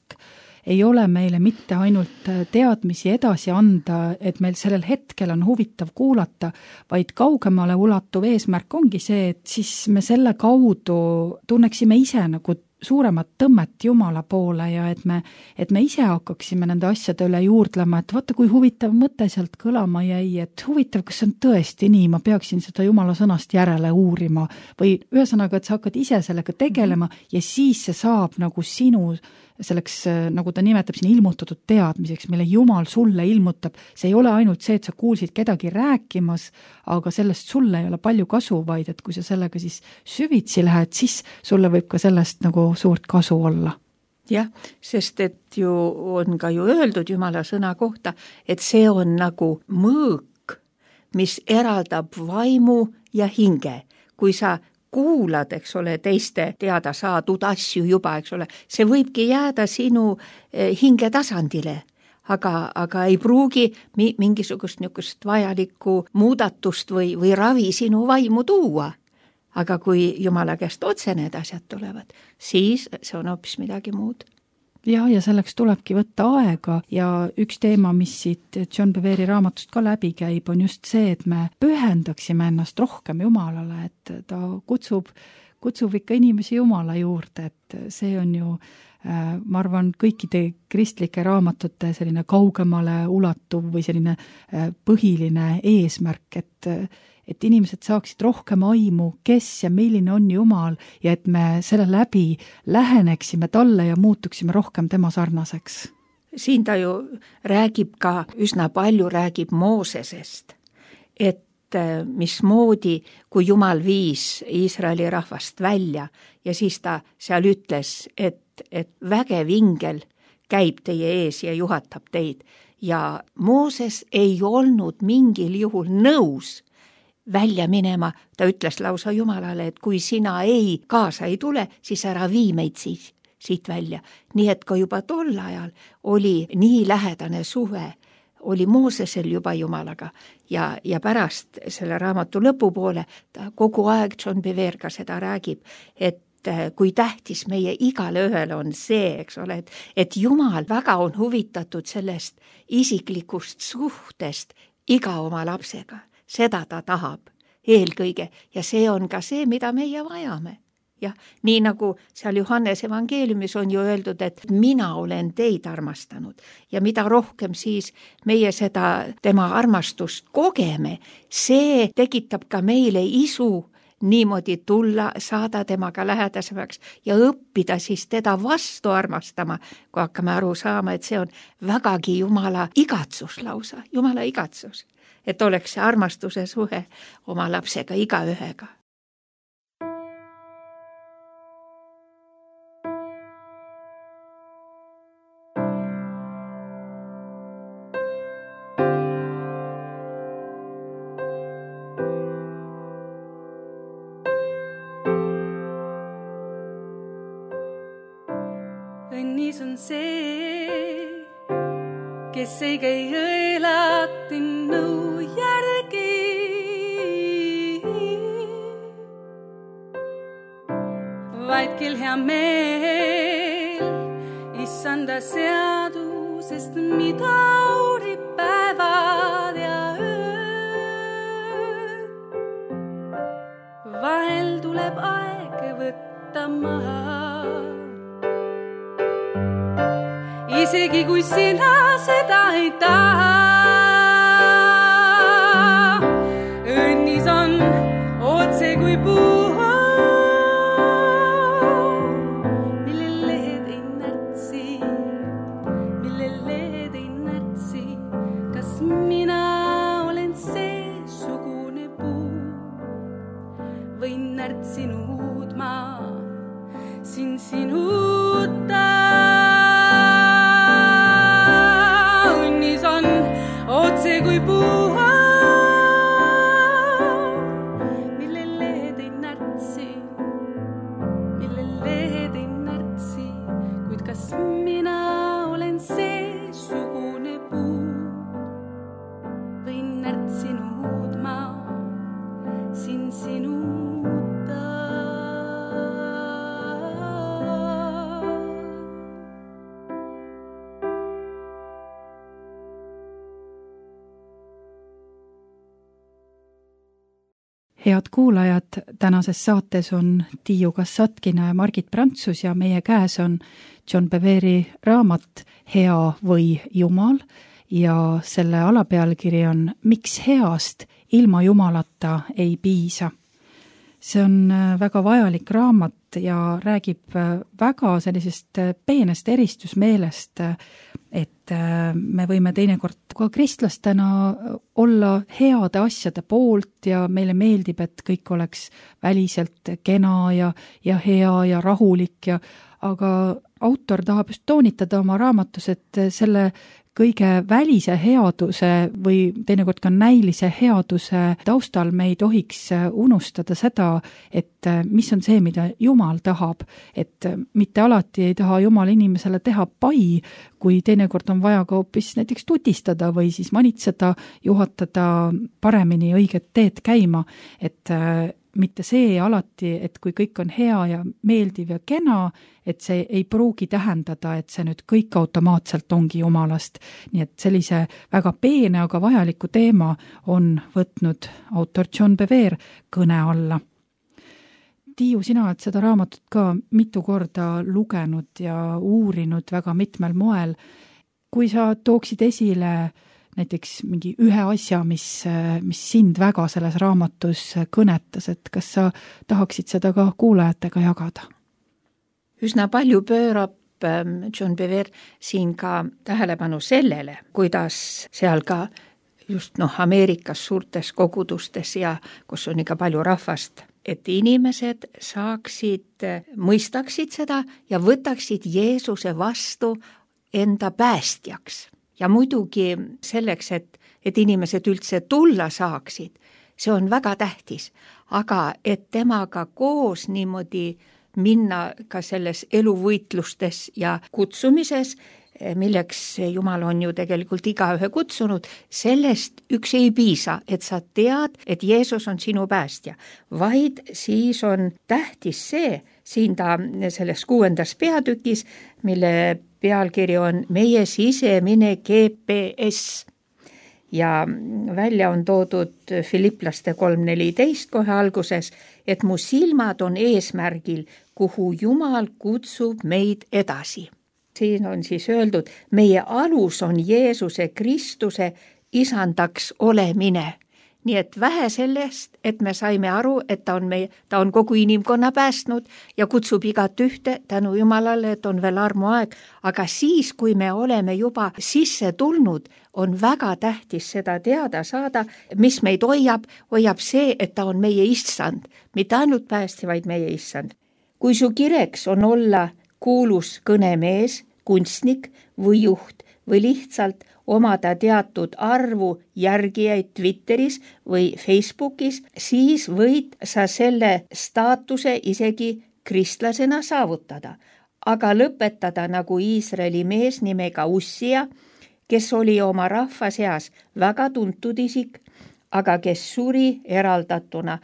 ei ole meile mitte ainult teadmisi edasi anda, et meil sellel hetkel on huvitav kuulata, vaid kaugemale ulatuv eesmärk ongi see, et siis me selle kaudu tunneksime ise nagu suuremat tõmmet Jumala poole ja et me, et me ise hakkaksime nende asjade üle juurdlema, et vaata, kui huvitav mõte sealt kõlama jäi, et huvitav, kas see on tõesti nii, ma peaksin seda Jumala sõnast järele uurima või ühesõnaga, et sa hakkad ise sellega tegelema ja siis see saab nagu sinu selleks, nagu ta nimetab siin, ilmutatud teadmiseks, mille Jumal sulle ilmutab. See ei ole ainult see, et sa kuulsid kedagi rääkimas, aga sellest sulle ei ole palju kasu, vaid et kui sa sellega siis süvitsi lähed, siis sulle võib ka sellest nagu suurt kasu olla. Jah, sest et ju on ka ju öeldud Jumala sõna kohta, et see on nagu mõõk, mis eraldab vaimu ja hinge. Kui sa kuulad, eks ole, teiste teada saadud asju juba, eks ole, see võibki jääda sinu hinge tasandile, aga, aga ei pruugi mi- mingisugust niisugust vajalikku muudatust või, või ravi sinu vaimu tuua. Aga kui Jumala käest otse need asjad tulevad, siis see on hoopis midagi muud. Ja, ja selleks tulebki võtta aega ja üks teema, mis siit John Beveri raamatust ka läbi käib, on just see, et me pühendaksime ennast rohkem Jumalale, et ta kutsub, kutsub ikka inimesi Jumala juurde, et see on ju, ma arvan, kõikide kristlike raamatute selline kaugemale ulatuv või selline põhiline eesmärk, et et inimesed saaksid rohkem aimu, kes ja milline on Jumal ja et me selle läbi läheneksime talle ja muutuksime rohkem tema sarnaseks. Siin ta ju räägib ka, üsna palju räägib Moosesest, et mismoodi, kui Jumal viis Iisraeli rahvast välja ja siis ta seal ütles, et, et vägev ingel käib teie ees ja juhatab teid ja Mooses ei olnud mingil juhul nõus välja minema, ta ütles lausa Jumalale, et kui sina ei kaasa ei tule, siis ära vii meid siit, siit välja. Nii et ka juba tol ajal oli nii lähedane suhe, oli Moosesel juba Jumalaga ja, ja pärast selle raamatu lõpupoole ta kogu aeg John Bever ka seda räägib, et kui tähtis meie igale ühele on see, eks ole, et, et Jumal väga on huvitatud sellest isiklikust suhtest iga oma lapsega. Seda ta tahab eelkõige ja see on ka see, mida meie vajame. Jah, nii nagu seal Johannes evangeeliumis on ju öeldud, et mina olen teid armastanud ja mida rohkem siis meie seda tema armastust kogeme, see tekitab ka meile isu niimoodi tulla, saada temaga lähedasemaks ja õppida siis teda vastu armastama, kui hakkame aru saama, et see on vägagi Jumala igatsus lausa, Jumala igatsus, et oleks see armastuse suhe oma lapsega igaühega. Õnnis on see, kes ei käi õelati nõu järgi. Vaid kel hea meel issanda seadusest, mida uurib päevad ja öö. Vahel tuleb aeg võtta maha, isegi kui sina seda ei taha. Õnnis on otse kui puu, mille lehed ei närtsi, mille lehed ei närtsi. Kas mina olen seesugune puu või närtsinud ma siin sinuta? Otse kui puu, mille lehed ei närtsi, mille lehed ei närtsi, kuid kas mina olen seesugune puu või närtsinud ma siin sinuta? Head kuulajad, tänases saates on Tiiu Kassatkina ja Margit Prantsus ja meie käes on John Beveri raamat Hea või Jumal ja selle alapealkiri on Miks heast ilma Jumalata ei piisa. See on väga vajalik raamat ja räägib väga sellisest peenest eristusmeelest, et me võime teinekord ka kristlastena olla heade asjade poolt ja meile meeldib, et kõik oleks väliselt kena ja, ja hea ja rahulik ja aga autor tahab just toonitada oma raamatus, et selle kõige välise headuse või teinekord ka näilise headuse taustal me ei tohiks unustada seda, et mis on see, mida Jumal tahab, et mitte alati ei taha Jumal inimesele teha pai, kui teinekord on vaja ka hoopis näiteks tutistada või siis manitseda, juhatada paremini õiget teed käima, et mitte see alati, et kui kõik on hea ja meeldiv ja kena, et see ei pruugi tähendada, et see nüüd kõik automaatselt ongi Jumalast. Nii et sellise väga peene, aga vajaliku teema on võtnud autor John Bever kõne alla. Tiiu, sina oled seda raamatut ka mitu korda lugenud ja uurinud väga mitmel moel. Kui sa tooksid esile näiteks mingi ühe asja, mis, mis sind väga selles raamatus kõnetas, et kas sa tahaksid seda ka kuulajatega jagada? Üsna palju pöörab John Bever siin ka tähelepanu sellele, kuidas seal ka just noh, Ameerikas suurtes kogudustes ja kus on ikka palju rahvast, et inimesed saaksid, mõistaksid seda ja võtaksid Jeesuse vastu enda päästjaks. Ja muidugi selleks, et, et inimesed üldse tulla saaksid, see on väga tähtis, aga et temaga koos niimoodi minna ka selles eluvõitlustes ja kutsumises, milleks Jumal on ju tegelikult igaühe kutsunud, sellest üks ei piisa, et sa tead, et Jeesus on sinu päästja, vaid siis on tähtis see, siin ta selles kuuendas peatükis, mille pealkiri on Meie sisemine G P S ja välja on toodud Filiplaste kolm neliteist kohe alguses, et mu silmad on eesmärgil, kuhu Jumal kutsub meid edasi. Siin on siis öeldud, meie alus on Jeesuse Kristuse isandaks olemine nii et vähe sellest, et me saime aru, et ta on, meie, ta on kogu inimkonna päästnud ja kutsub igat ühte tänu Jumalale, et on veel armuaeg, aga siis, kui me oleme juba sisse tulnud, on väga tähtis seda teada saada, mis meid hoiab, hoiab see, et ta on meie issand, mitte ainult päästja, vaid meie issand. Kui su kireks on olla kuulus kõnemees, kunstnik või juht või lihtsalt omada teatud arvu järgijaid Twitteris või Facebookis, siis võid sa selle staatuse isegi kristlasena saavutada. Aga lõpetada nagu Iisraeli mees nimega Ussia, kes oli oma rahva seas väga tuntud isik, aga kes suri eraldatuna.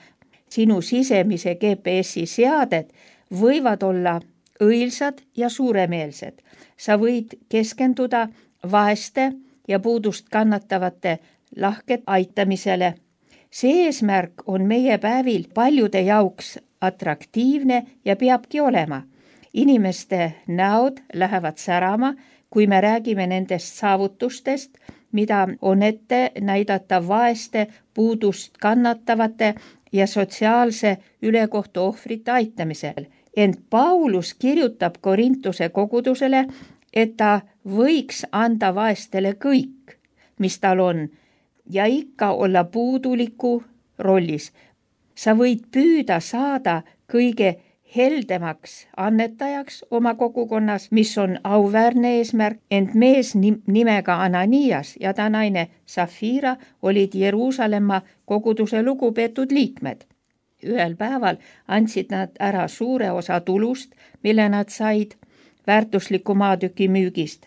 Sinu sisemise G P S-i seaded võivad olla õilsad ja suuremeelsed. Sa võid keskenduda vaeste ja puudust kannatavate lahket aitamisele. See eesmärk on meie päevil paljude jauks atraktiivne ja peabki olema. Inimeste näod lähevad särama, kui me räägime nendest saavutustest, mida on ette näidata vaeste, puudust kannatavate ja sotsiaalse ülekohtu ohvrite aitamisel. Ent Paulus kirjutab Korintuse kogudusele, et ta võiks anda vaestele kõik, mis tal on, ja ikka olla puuduliku rollis. Sa võid püüda saada kõige heldemaks annetajaks oma kogukonnas, mis on auväärne eesmärk, ent mees nimega Ananias ja ta naine Safira olid Jeruusalemma koguduse lugupeetud liikmed. Ühel päeval andsid nad ära suure osa tulust, mille nad said väärtusliku maatüki müügist.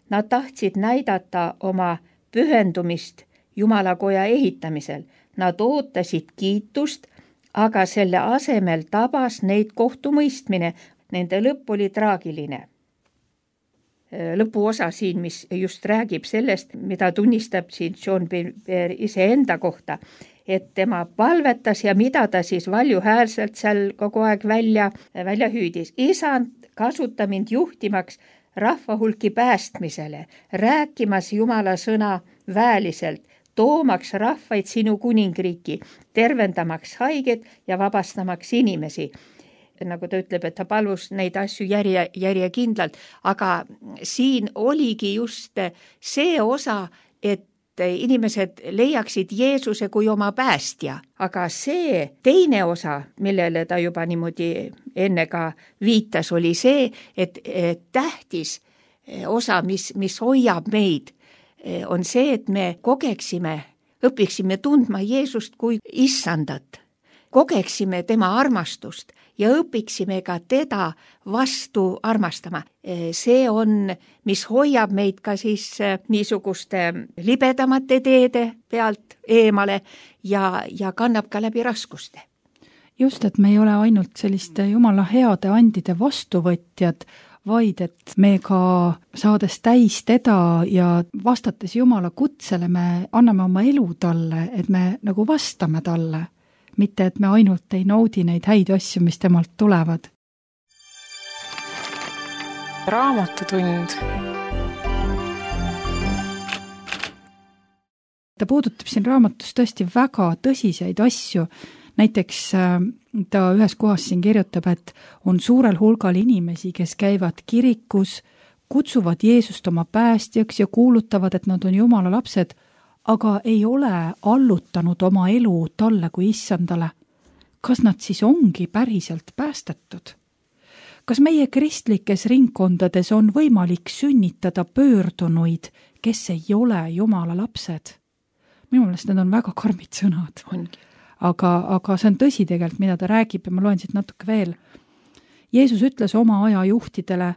Nad tahtsid näidata oma pühendumist Jumalakoja ehitamisel. Nad ootasid kiitust, aga selle asemel tabas neid kohtumõistmine. Nende lõpp oli traagiline. Lõpuosa siin, mis just räägib sellest, mida tunnistab siin John Bevere iseenda kohta, et tema palvetas ja mida ta siis valjuhäälselt seal kogu aeg välja, välja hüüdis. Isand, kasuta mind juhtimaks rahvahulki päästmisele, rääkimas Jumala sõna väeliselt, toomaks rahvaid sinu kuningriiki, tervendamaks haiged ja vabastamaks inimesi. Nagu ta ütleb, et ta palus neid asju järje, järjekindlalt, aga siin oligi just see osa, et inimesed leiaksid Jeesuse kui oma päästja, aga see teine osa, millele ta juba niimoodi enne ka viitas, oli see, et tähtis osa, mis, mis hoiab meid, on see, et me kogeksime, õpiksime tundma Jeesust kui issandat, kogeksime tema armastust ja õpiksime ka teda vastu armastama. See on, mis hoiab meid ka siis niisuguste libedamate teede pealt eemale ja, ja kannab ka läbi raskuste. Just, et me ei ole ainult selliste Jumala heade andide vastuvõtjad, vaid et me ka saades täis teda ja vastates Jumala kutsele, me anname oma elu talle, et me nagu vastame talle. Mitte, et me ainult ei naudi neid häid asju, mis temalt tulevad. Raamatutund. Ta puudutab siin raamatus tõesti väga tõsiseid asju. Näiteks ta ühes kohas siin kirjutab, et on suurel hulgal inimesi, kes käivad kirikus, kutsuvad Jeesust oma päästjaks ja kuulutavad, et nad on Jumala lapsed, aga ei ole allutanud oma elu talle kui issandale. Kas nad siis ongi päriselt päästetud? Kas meie kristlikes ringkondades on võimalik sünnitada pöördunuid, kes ei ole Jumala lapsed? Minu meelest need on väga karmid sõnad. Aga, aga see on tõsi tegelikult, mida ta räägib ja ma loen siit natuke veel. Jeesus ütles oma aja juhtidele,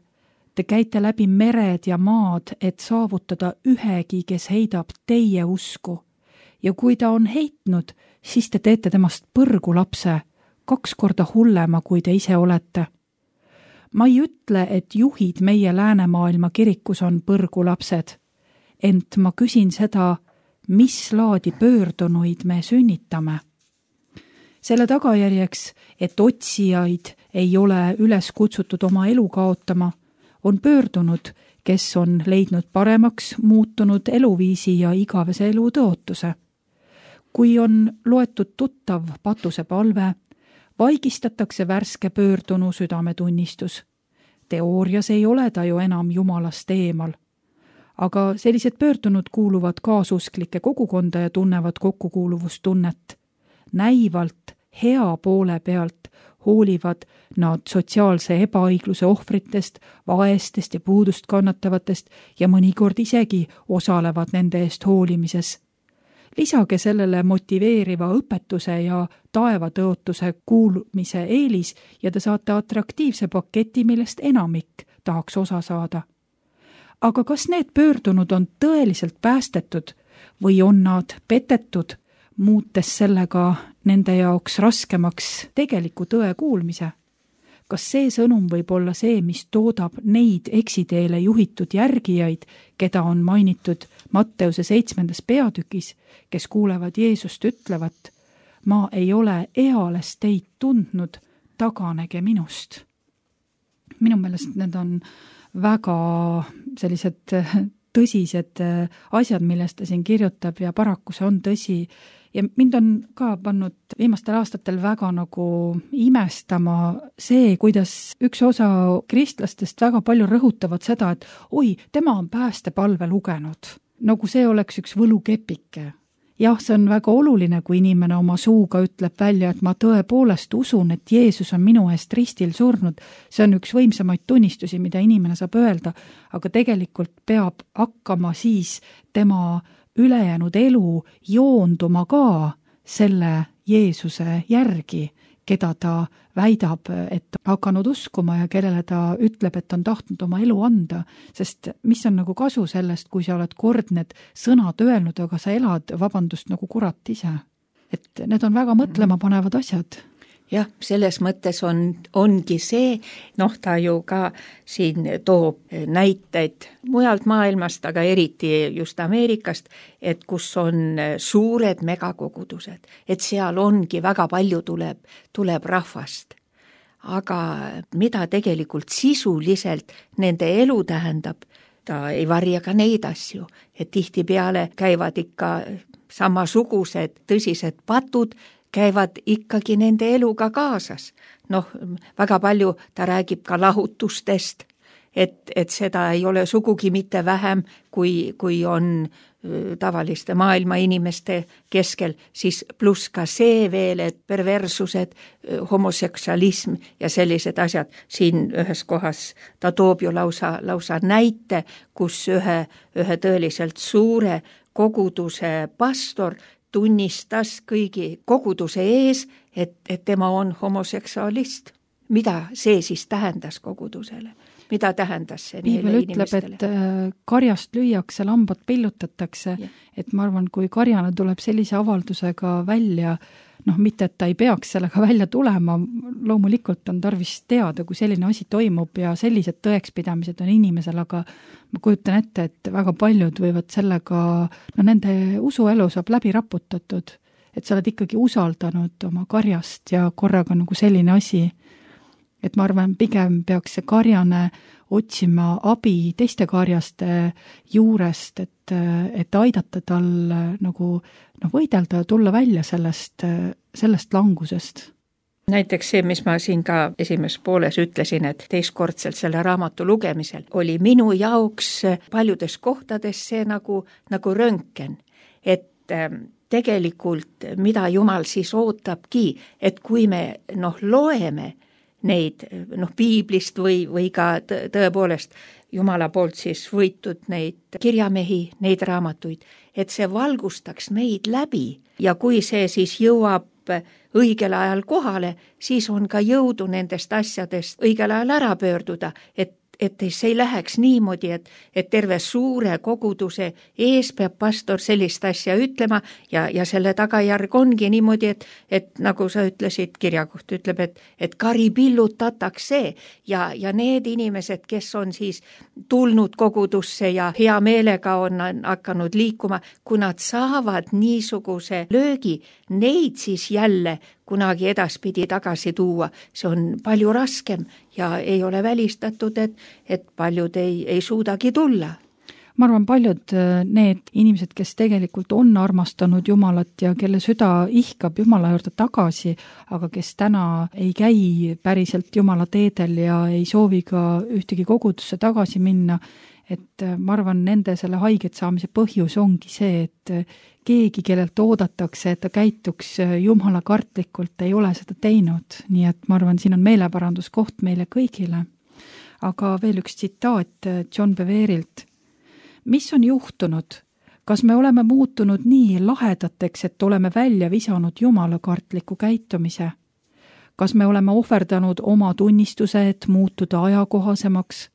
te käite läbi mered ja maad, et saavutada ühegi, kes heidab teie usku. Ja kui ta on heitnud, siis te teete temast põrgu lapse, kaks korda hullema, kui te ise olete. Ma ei ütle, et juhid meie läänemaailma kirikus on põrgu lapsed, ent ma küsin seda, mis laadi pöördunuid me sünnitame. Selle tagajärjeks, et otsijaid ei ole üles kutsutud oma elu kaotama, on pöördunud, kes on leidnud paremaks muutunud eluviisi ja igavese elu tõotuse. kui on loetud tuttav patusepalve, vaigistatakse värske pöördunu südametunnistus. Teoorias ei ole ta ju enam jumalast eemal. Aga sellised pöördunud kuuluvad kaasusklike kogukonda ja tunnevad kokkukuuluvustunnet. Näivalt, hea poole pealt hoolivad nad sotsiaalse ebaõigluse ohvritest, vaestest ja puudust kannatavatest ja mõnikord isegi osalevad nende eest hoolimises. Lisage sellele motiveeriva õpetuse ja taevatõotuse kuulumise eelis ja te saate atraktiivse paketi, millest enamik tahaks osa saada. Aga kas need pöördunud on tõeliselt päästetud või on nad petetud, muutes sellega nende jaoks raskemaks tegeliku tõe kuulmise? Kas see sõnum võib olla see, mis toodab neid eksiteele juhitud järgijaid, keda on mainitud Matteuse seitsmendas peatükis, kes kuulevad Jeesust ütlevat, ma ei ole eales teid tundnud, taganege minust. Minu meelest need on väga sellised tõsised asjad, millest ta siin kirjutab ja paraku see on tõsi. Ja mind on ka pannud viimastel aastatel väga nagu imestama see, kuidas üks osa kristlastest väga palju rõhutavad seda, et oi, tema on päästepalve lugenud. Nagu see oleks üks võlukepike. Jah, see on väga oluline, kui inimene oma suuga ütleb välja, et ma tõepoolest usun, et Jeesus on minu eest ristil surnud. See on üks võimsamaid tunnistusi, mida inimene saab öelda, aga tegelikult peab hakkama siis tema ülejäänud elu joonduma ka selle Jeesuse järgi, keda ta väidab, et hakanud uskuma ja kellele ta ütleb, et on tahtnud oma elu anda, sest mis on nagu kasu sellest, kui sa oled kord need sõnad öelnud, aga sa elad, vabandust, nagu kurat ise. Et need on väga mõtlema panevad asjad. Jah, selles mõttes on, ongi see, noh, ta ju ka siin toob näiteid mujalt maailmast, aga eriti just Ameerikast, et kus on suured megakogudused, et seal ongi väga palju tuleb, tuleb rahvast. Aga mida tegelikult sisuliselt nende elu tähendab, ta ei varja ka neid asju, et tihtipeale käivad ikka samasugused tõsised patud, käivad ikkagi nende eluga kaasas. Noh, väga palju ta räägib ka lahutustest, et, et seda ei ole sugugi mitte vähem, kui, kui on tavaliste maailma inimeste keskel, siis pluss ka see veel, et perversused, homoseksualism ja sellised asjad. Siin ühes kohas ta toob ju lausa, lausa näite, kus ühe, ühe tõeliselt suure koguduse pastor tunnistas kõigi koguduse ees, et, et tema on homoseksualist. Mida see siis tähendas kogudusele? Mida tähendas see neile inimestele? Piibel ütleb, et karjast lüüakse, lambad pillutatakse, ja. Et ma arvan, kui karjana tuleb sellise avaldusega välja, noh, mitte, et ta ei peaks sellega välja tulema, loomulikult on tarvis teada, kui selline asi toimub ja sellised tõekspidamised on inimesel, aga ma kujutan ette, et väga paljud võivad sellega, no nende usuelu saab läbi raputatud, et sa oled ikkagi usaldanud oma karjast ja korraga nagu selline asi, et ma arvan, pigem peaks see karjane otsima abi teiste karjaste juurest, et, et aidata tal nagu no, võidelda ja tulla välja sellest, sellest langusest. Näiteks see, mis ma siin ka esimeses pooles ütlesin, et teistkordselt selle raamatu lugemisel oli minu jaoks paljudes kohtades see nagu, nagu röntgen, et tegelikult mida Jumal siis ootabki, et kui me noh, loeme neid noh, piiblist või, või ka tõepoolest Jumala poolt siis võitud neid kirjamehi, neid raamatuid, et see valgustaks meid läbi ja kui see siis jõuab õigel ajal kohale, siis on ka jõudu nendest asjadest õigel ajal ära pöörduda, et et see ei läheks niimoodi, et, et terve suure koguduse ees peab pastor sellist asja ütlema ja, ja selle tagajärg ongi niimoodi, et, et nagu sa ütlesid, kirjakoht ütleb, et, et kari pillutatakse ja, ja need inimesed, kes on siis tulnud kogudusse ja hea meelega on hakanud liikuma, kui nad saavad niisuguse löögi, neid siis jälle kunagi edaspidi tagasi tuua, see on palju raskem ja ei ole välistatud, et, et paljud ei, ei suudagi tulla. ma arvan, paljud need inimesed, kes tegelikult on armastanud Jumalat ja kelle süda ihkab Jumala juurde tagasi, aga kes täna ei käi päriselt Jumala teedel ja ei soovi ka ühtegi kogudusse tagasi minna, et ma arvan, nende selle haiget saamise põhjus ongi see, et keegi, kellelt oodatakse, et ta käituks Jumala kartlikult, ei ole seda teinud. Nii et ma arvan, siin on meeleparanduskoht meile kõigile. Aga veel üks tsitaat John Beverilt. Mis on juhtunud? Kas me oleme muutunud nii lahedateks, et oleme välja visanud Jumala kartliku käitumise? Kas me oleme ohverdanud oma tunnistuse, et muutuda ajakohasemaks?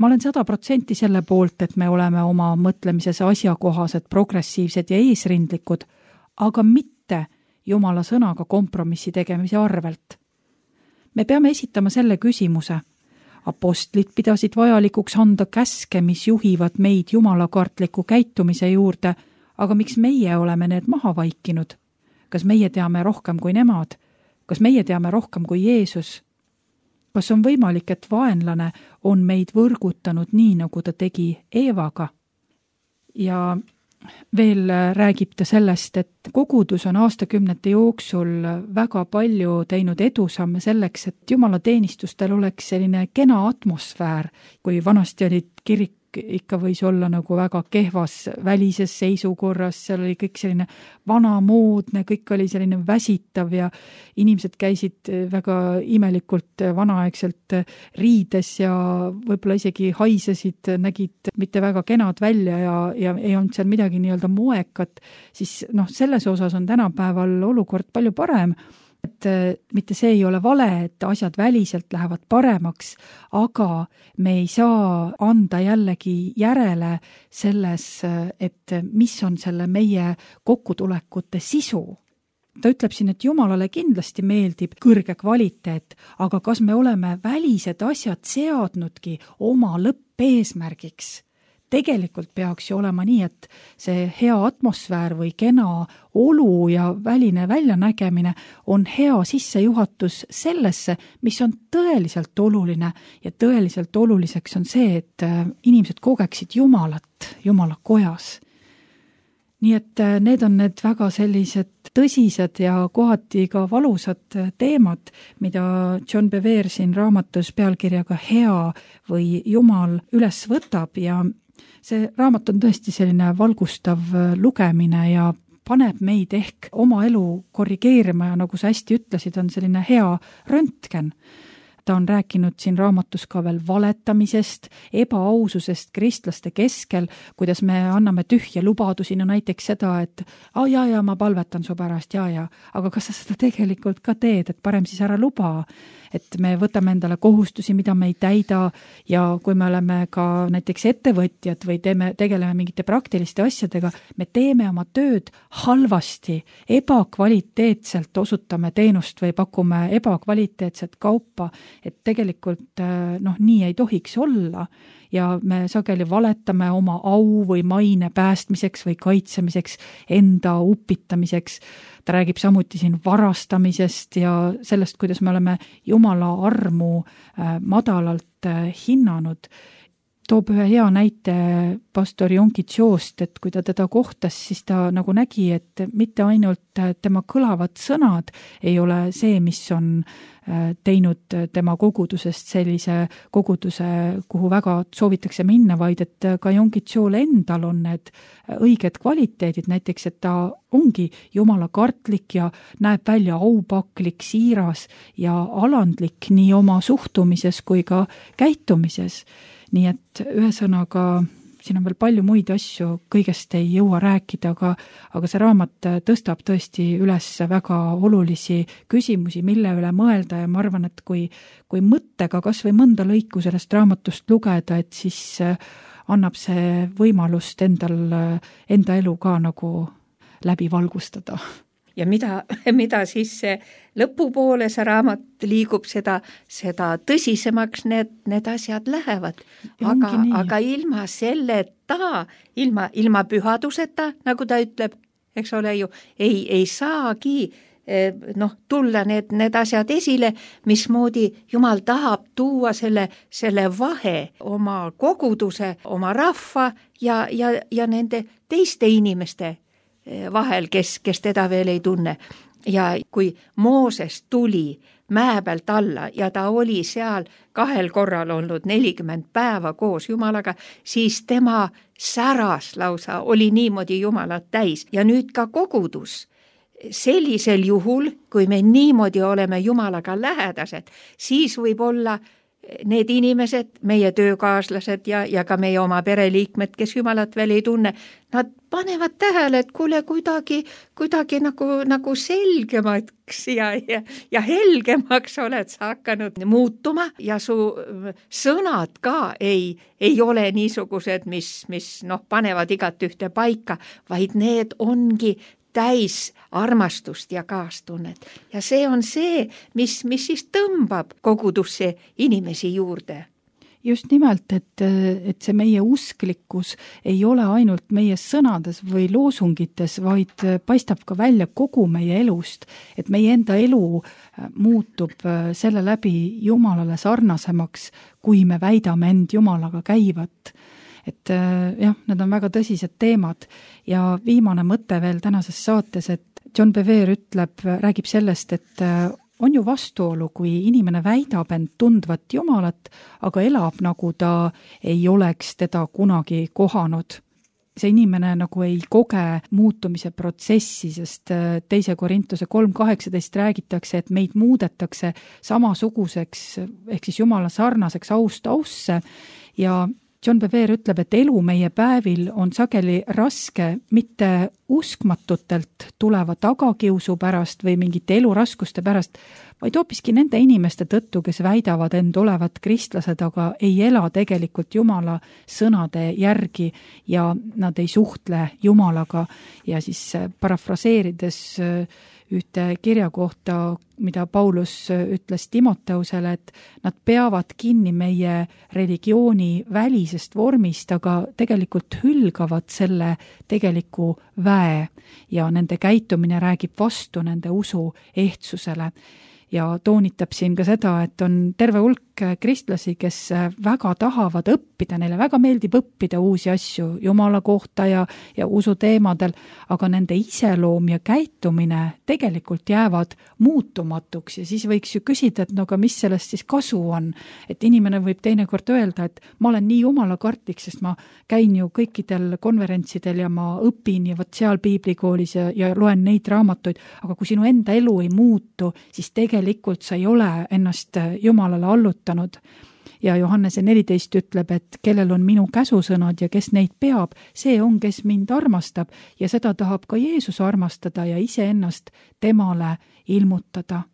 Ma olen sada protsenti selle poolt, et me oleme oma mõtlemises asjakohased, progressiivsed ja eesrindlikud, aga mitte Jumala sõnaga kompromissi tegemise arvelt. Me peame esitama selle küsimuse. Apostlid pidasid vajalikuks anda käske, mis juhivad meid Jumala kartliku käitumise juurde, aga miks meie oleme need maha vaikinud? Kas meie teame rohkem kui nemad? Kas meie teame rohkem kui Jeesus? Kas on võimalik, et vaenlane on meid võrgutanud nii, nagu ta tegi Eevaga? Ja veel räägib ta sellest, et kogudus on aastakümnete jooksul väga palju teinud edusamme selleks, et Jumala teenistustel oleks selline kena atmosfäär, kui vanasti olid kirik ikka võis olla nagu väga kehvas välises seisukorras, seal oli kõik selline vanamoodne, kõik oli selline väsitav ja inimesed käisid väga imelikult vanaaegselt riides ja võib-olla isegi haisesid, nägid mitte väga kenad välja ja, ja ei olnud seal midagi nii-öelda moekat, siis noh, selles osas on tänapäeval olukord palju parem. Et mitte see ei ole vale, et asjad väliselt lähevad paremaks, aga me ei saa anda jällegi järele selles, et mis on selle meie kokkutulekute sisu. Ta ütleb siin, et Jumalale kindlasti meeldib kõrge kvaliteet, aga kas me oleme välised asjad seadnudki oma lõppeesmärgiks? Tegelikult peaks ju olema nii, et see hea atmosfäär või kena olu ja väline väljanägemine on hea sissejuhatus sellesse, mis on tõeliselt oluline ja tõeliselt oluliseks on see, et inimesed kogeksid Jumalat Jumala kojas. Nii et need on need väga sellised tõsised ja kohati ka valusad teemad, mida John Bever siin raamatus pealkirjaga Hea või Jumal üles võtab ja see raamat on tõesti selline valgustav lugemine ja paneb meid ehk oma elu korrigeerima ja nagu sa hästi ütlesid, on selline hea röntgen. Ta on rääkinud siin raamatus ka veel valetamisest, ebaaususest kristlaste keskel, kuidas me anname tühja lubadusi, no näiteks seda, et aa ja, ja ma palvetan su pärast, ja, ja, aga kas sa seda tegelikult ka teed, et parem siis ära luba, et me võtame endale kohustusi, mida me ei täida ja kui me oleme ka näiteks ettevõtjad või teeme, tegeleme mingite praktiliste asjadega, me teeme oma tööd halvasti, ebakvaliteetselt osutame teenust või pakume ebakvaliteetset kaupa, et tegelikult noh, nii ei tohiks olla ja me sageli valetame oma au või maine päästmiseks või kaitsemiseks, enda upitamiseks. Ta räägib samuti siin varastamisest ja sellest, kuidas me oleme Jumala armu madalalt hinnanud. Toob ühe hea näite pastor Yonggi Chost, et kui ta teda kohtas, siis ta nagu nägi, et mitte ainult tema kõlavad sõnad ei ole see, mis on teinud tema kogudusest sellise koguduse, kuhu väga soovitakse minna, vaid et ka Yonggi Chol endal on need õiged kvaliteedid, näiteks, et ta ongi Jumala kartlik ja näeb välja aupaklik, siiras ja alandlik nii oma suhtumises kui ka käitumises. Nii et ühesõnaga, siin on veel palju muid asju, kõigest ei jõua rääkida, aga, aga see raamat tõstab tõesti üles väga olulisi küsimusi, mille üle mõelda ja ma arvan, et kui, kui mõttega kas või mõnda lõiku sellest raamatust lugeda, et siis annab see võimalust endal, enda elu ka nagu läbi valgustada. Ja mida, mida siis see lõpupoole see raamat liigub, seda, seda tõsisemaks need, need asjad lähevad. Aga, aga ilma selleta, ilma, ilma pühaduseta, nagu ta ütleb, eks ole ju, ei, ei saagi noh, tulla need, need asjad esile, mismoodi Jumal tahab tuua selle, selle vahe oma koguduse, oma rahva ja, ja, ja nende teiste inimeste vahel, kes, kes teda veel ei tunne. Ja kui Mooses tuli mäe pealt alla ja ta oli seal kahel korral olnud nelikümmend päeva koos Jumalaga, siis tema säras lausa, oli niimoodi Jumalat täis. Ja nüüd ka kogudus. Sellisel juhul, kui me niimoodi oleme Jumalaga lähedased, siis võib olla need inimesed, meie töökaaslased ja, ja ka meie oma pereliikmed, kes Jumalat veel ei tunne, nad panevad tähele, et kuule kuidagi, kuidagi nagu, nagu selgemaks ja, ja, ja helgemaks oled sa hakanud muutuma ja su sõnad ka ei, ei ole niisugused, mis, mis noh, panevad igat ühte paika, vaid need ongi täis armastust ja kaastunnet. Ja see on see, mis, mis siis tõmbab kogudusse inimesi juurde. Just nimelt, et, et see meie usklikkus ei ole ainult meie sõnades või loosungites, vaid paistab ka välja kogu meie elust, et meie enda elu muutub selle läbi Jumalale sarnasemaks, kui me väidame end Jumalaga käivat. Et jah, need on väga tõsised teemad ja viimane mõte veel tänases saates, et John Bevere ütleb, räägib sellest, et on ju vastuolu, kui inimene väidab end tundvat Jumalat, aga elab nagu ta ei oleks teda kunagi kohanud. See inimene nagu ei koge muutumise protsessi, sest teise Korintuse kolm kaheksateist räägitakse, et meid muudetakse samasuguseks, ehk siis Jumala sarnaseks aust ausse ja John Bevere ütleb, et elu meie päevil on sageli raske mitte uskmatutelt tuleva tagakiusu pärast või mingite eluraskuste pärast, vaid hoopiski nende inimeste tõttu, kes väidavad end olevat kristlased, aga ei ela tegelikult Jumala sõnade järgi ja nad ei suhtle Jumalaga. Ja siis parafraseerides ühte kirja kohta, mida Paulus ütles Timoteusele, et nad peavad kinni meie religiooni välisest vormist, aga tegelikult hülgavad selle tegeliku väe ja nende käitumine räägib vastu nende usu ehtsusele. Ja toonitab siin ka seda, et on terve hulk kristlasi, kes väga tahavad õppida, neile väga meeldib õppida uusi asju Jumala kohta ja, ja usu teemadel, aga nende iseloom ja käitumine tegelikult jäävad muutumatuks ja siis võiks ju küsida, et no aga mis sellest siis kasu on, et inimene võib teinekord öelda, et ma olen nii Jumala kartlik, sest ma käin ju kõikidel konverentsidel ja ma õpin ja võt seal piiblikoolis ja, ja loen neid raamatuid, aga kui sinu enda elu ei muutu, siis tegelikult sa ei ole ennast Jumalale allutanud. Ja Johannese neliteist ütleb, et kellel on minu käsusõnad ja kes neid peab, see on, kes mind armastab ja seda tahab ka Jeesus armastada ja iseennast temale ilmutada.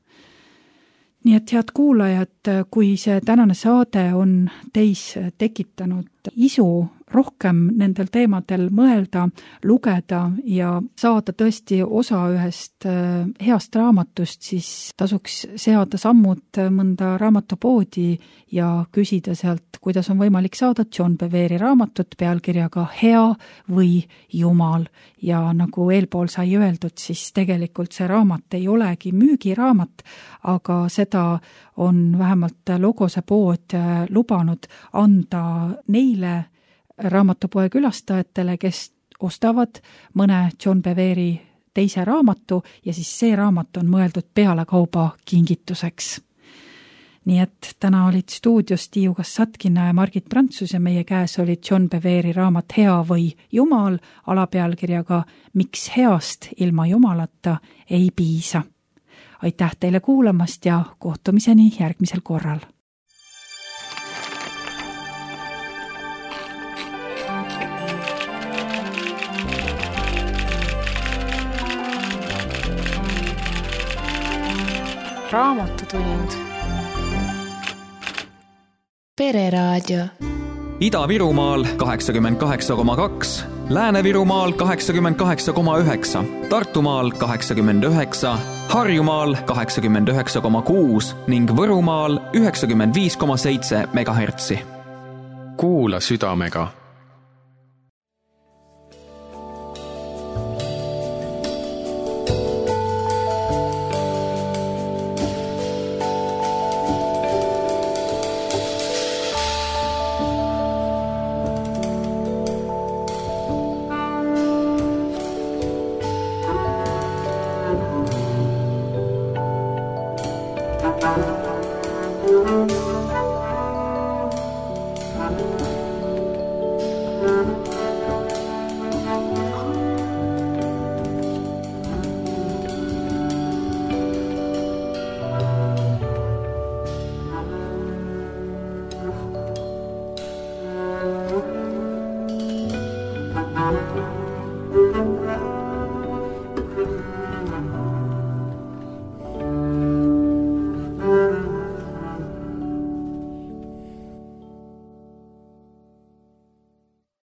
Nii et head kuulajad, kui see tänane saade on teis tekitanud isu rohkem nendel teemadel mõelda, lugeda ja saada tõesti osa ühest heast raamatust, siis tasuks seada sammud mõnda raamatupoodi ja küsida sealt, kuidas on võimalik saada John Bevere'i raamatut pealkirjaga Hea või Jumal. Ja nagu eelpool sai öeldud, siis tegelikult see raamat ei olegi müügiraamat, aga seda on vähemalt Logose pood lubanud anda neile raamatupoe külastajatele, kes ostavad mõne John Bevere'i teise raamatu ja siis see raamat on mõeldud pealekauba kingituseks. Nii et täna olid stuudios Tiiu Kassatkina ja Margit Prantsus ja meie käes oli John Bevere'i raamat Hea või Jumal alapealkirjaga Miks heast ilma Jumalata ei piisa. Aitäh teile kuulamast ja kohtumiseni järgmisel korral. Raamatutund. Pereraadio. Ida-Virumaal kaheksakümmend kaheksa koma kaks, Lääne-Virumaal kaheksakümmend kaheksa koma üheksa, Tartumaal kaheksakümmend üheksa, Harjumaal kaheksakümmend üheksa koma kuus ning Võrumaal üheksakümmend viis koma seitse megahertsi. Kuula südamega. Thank you.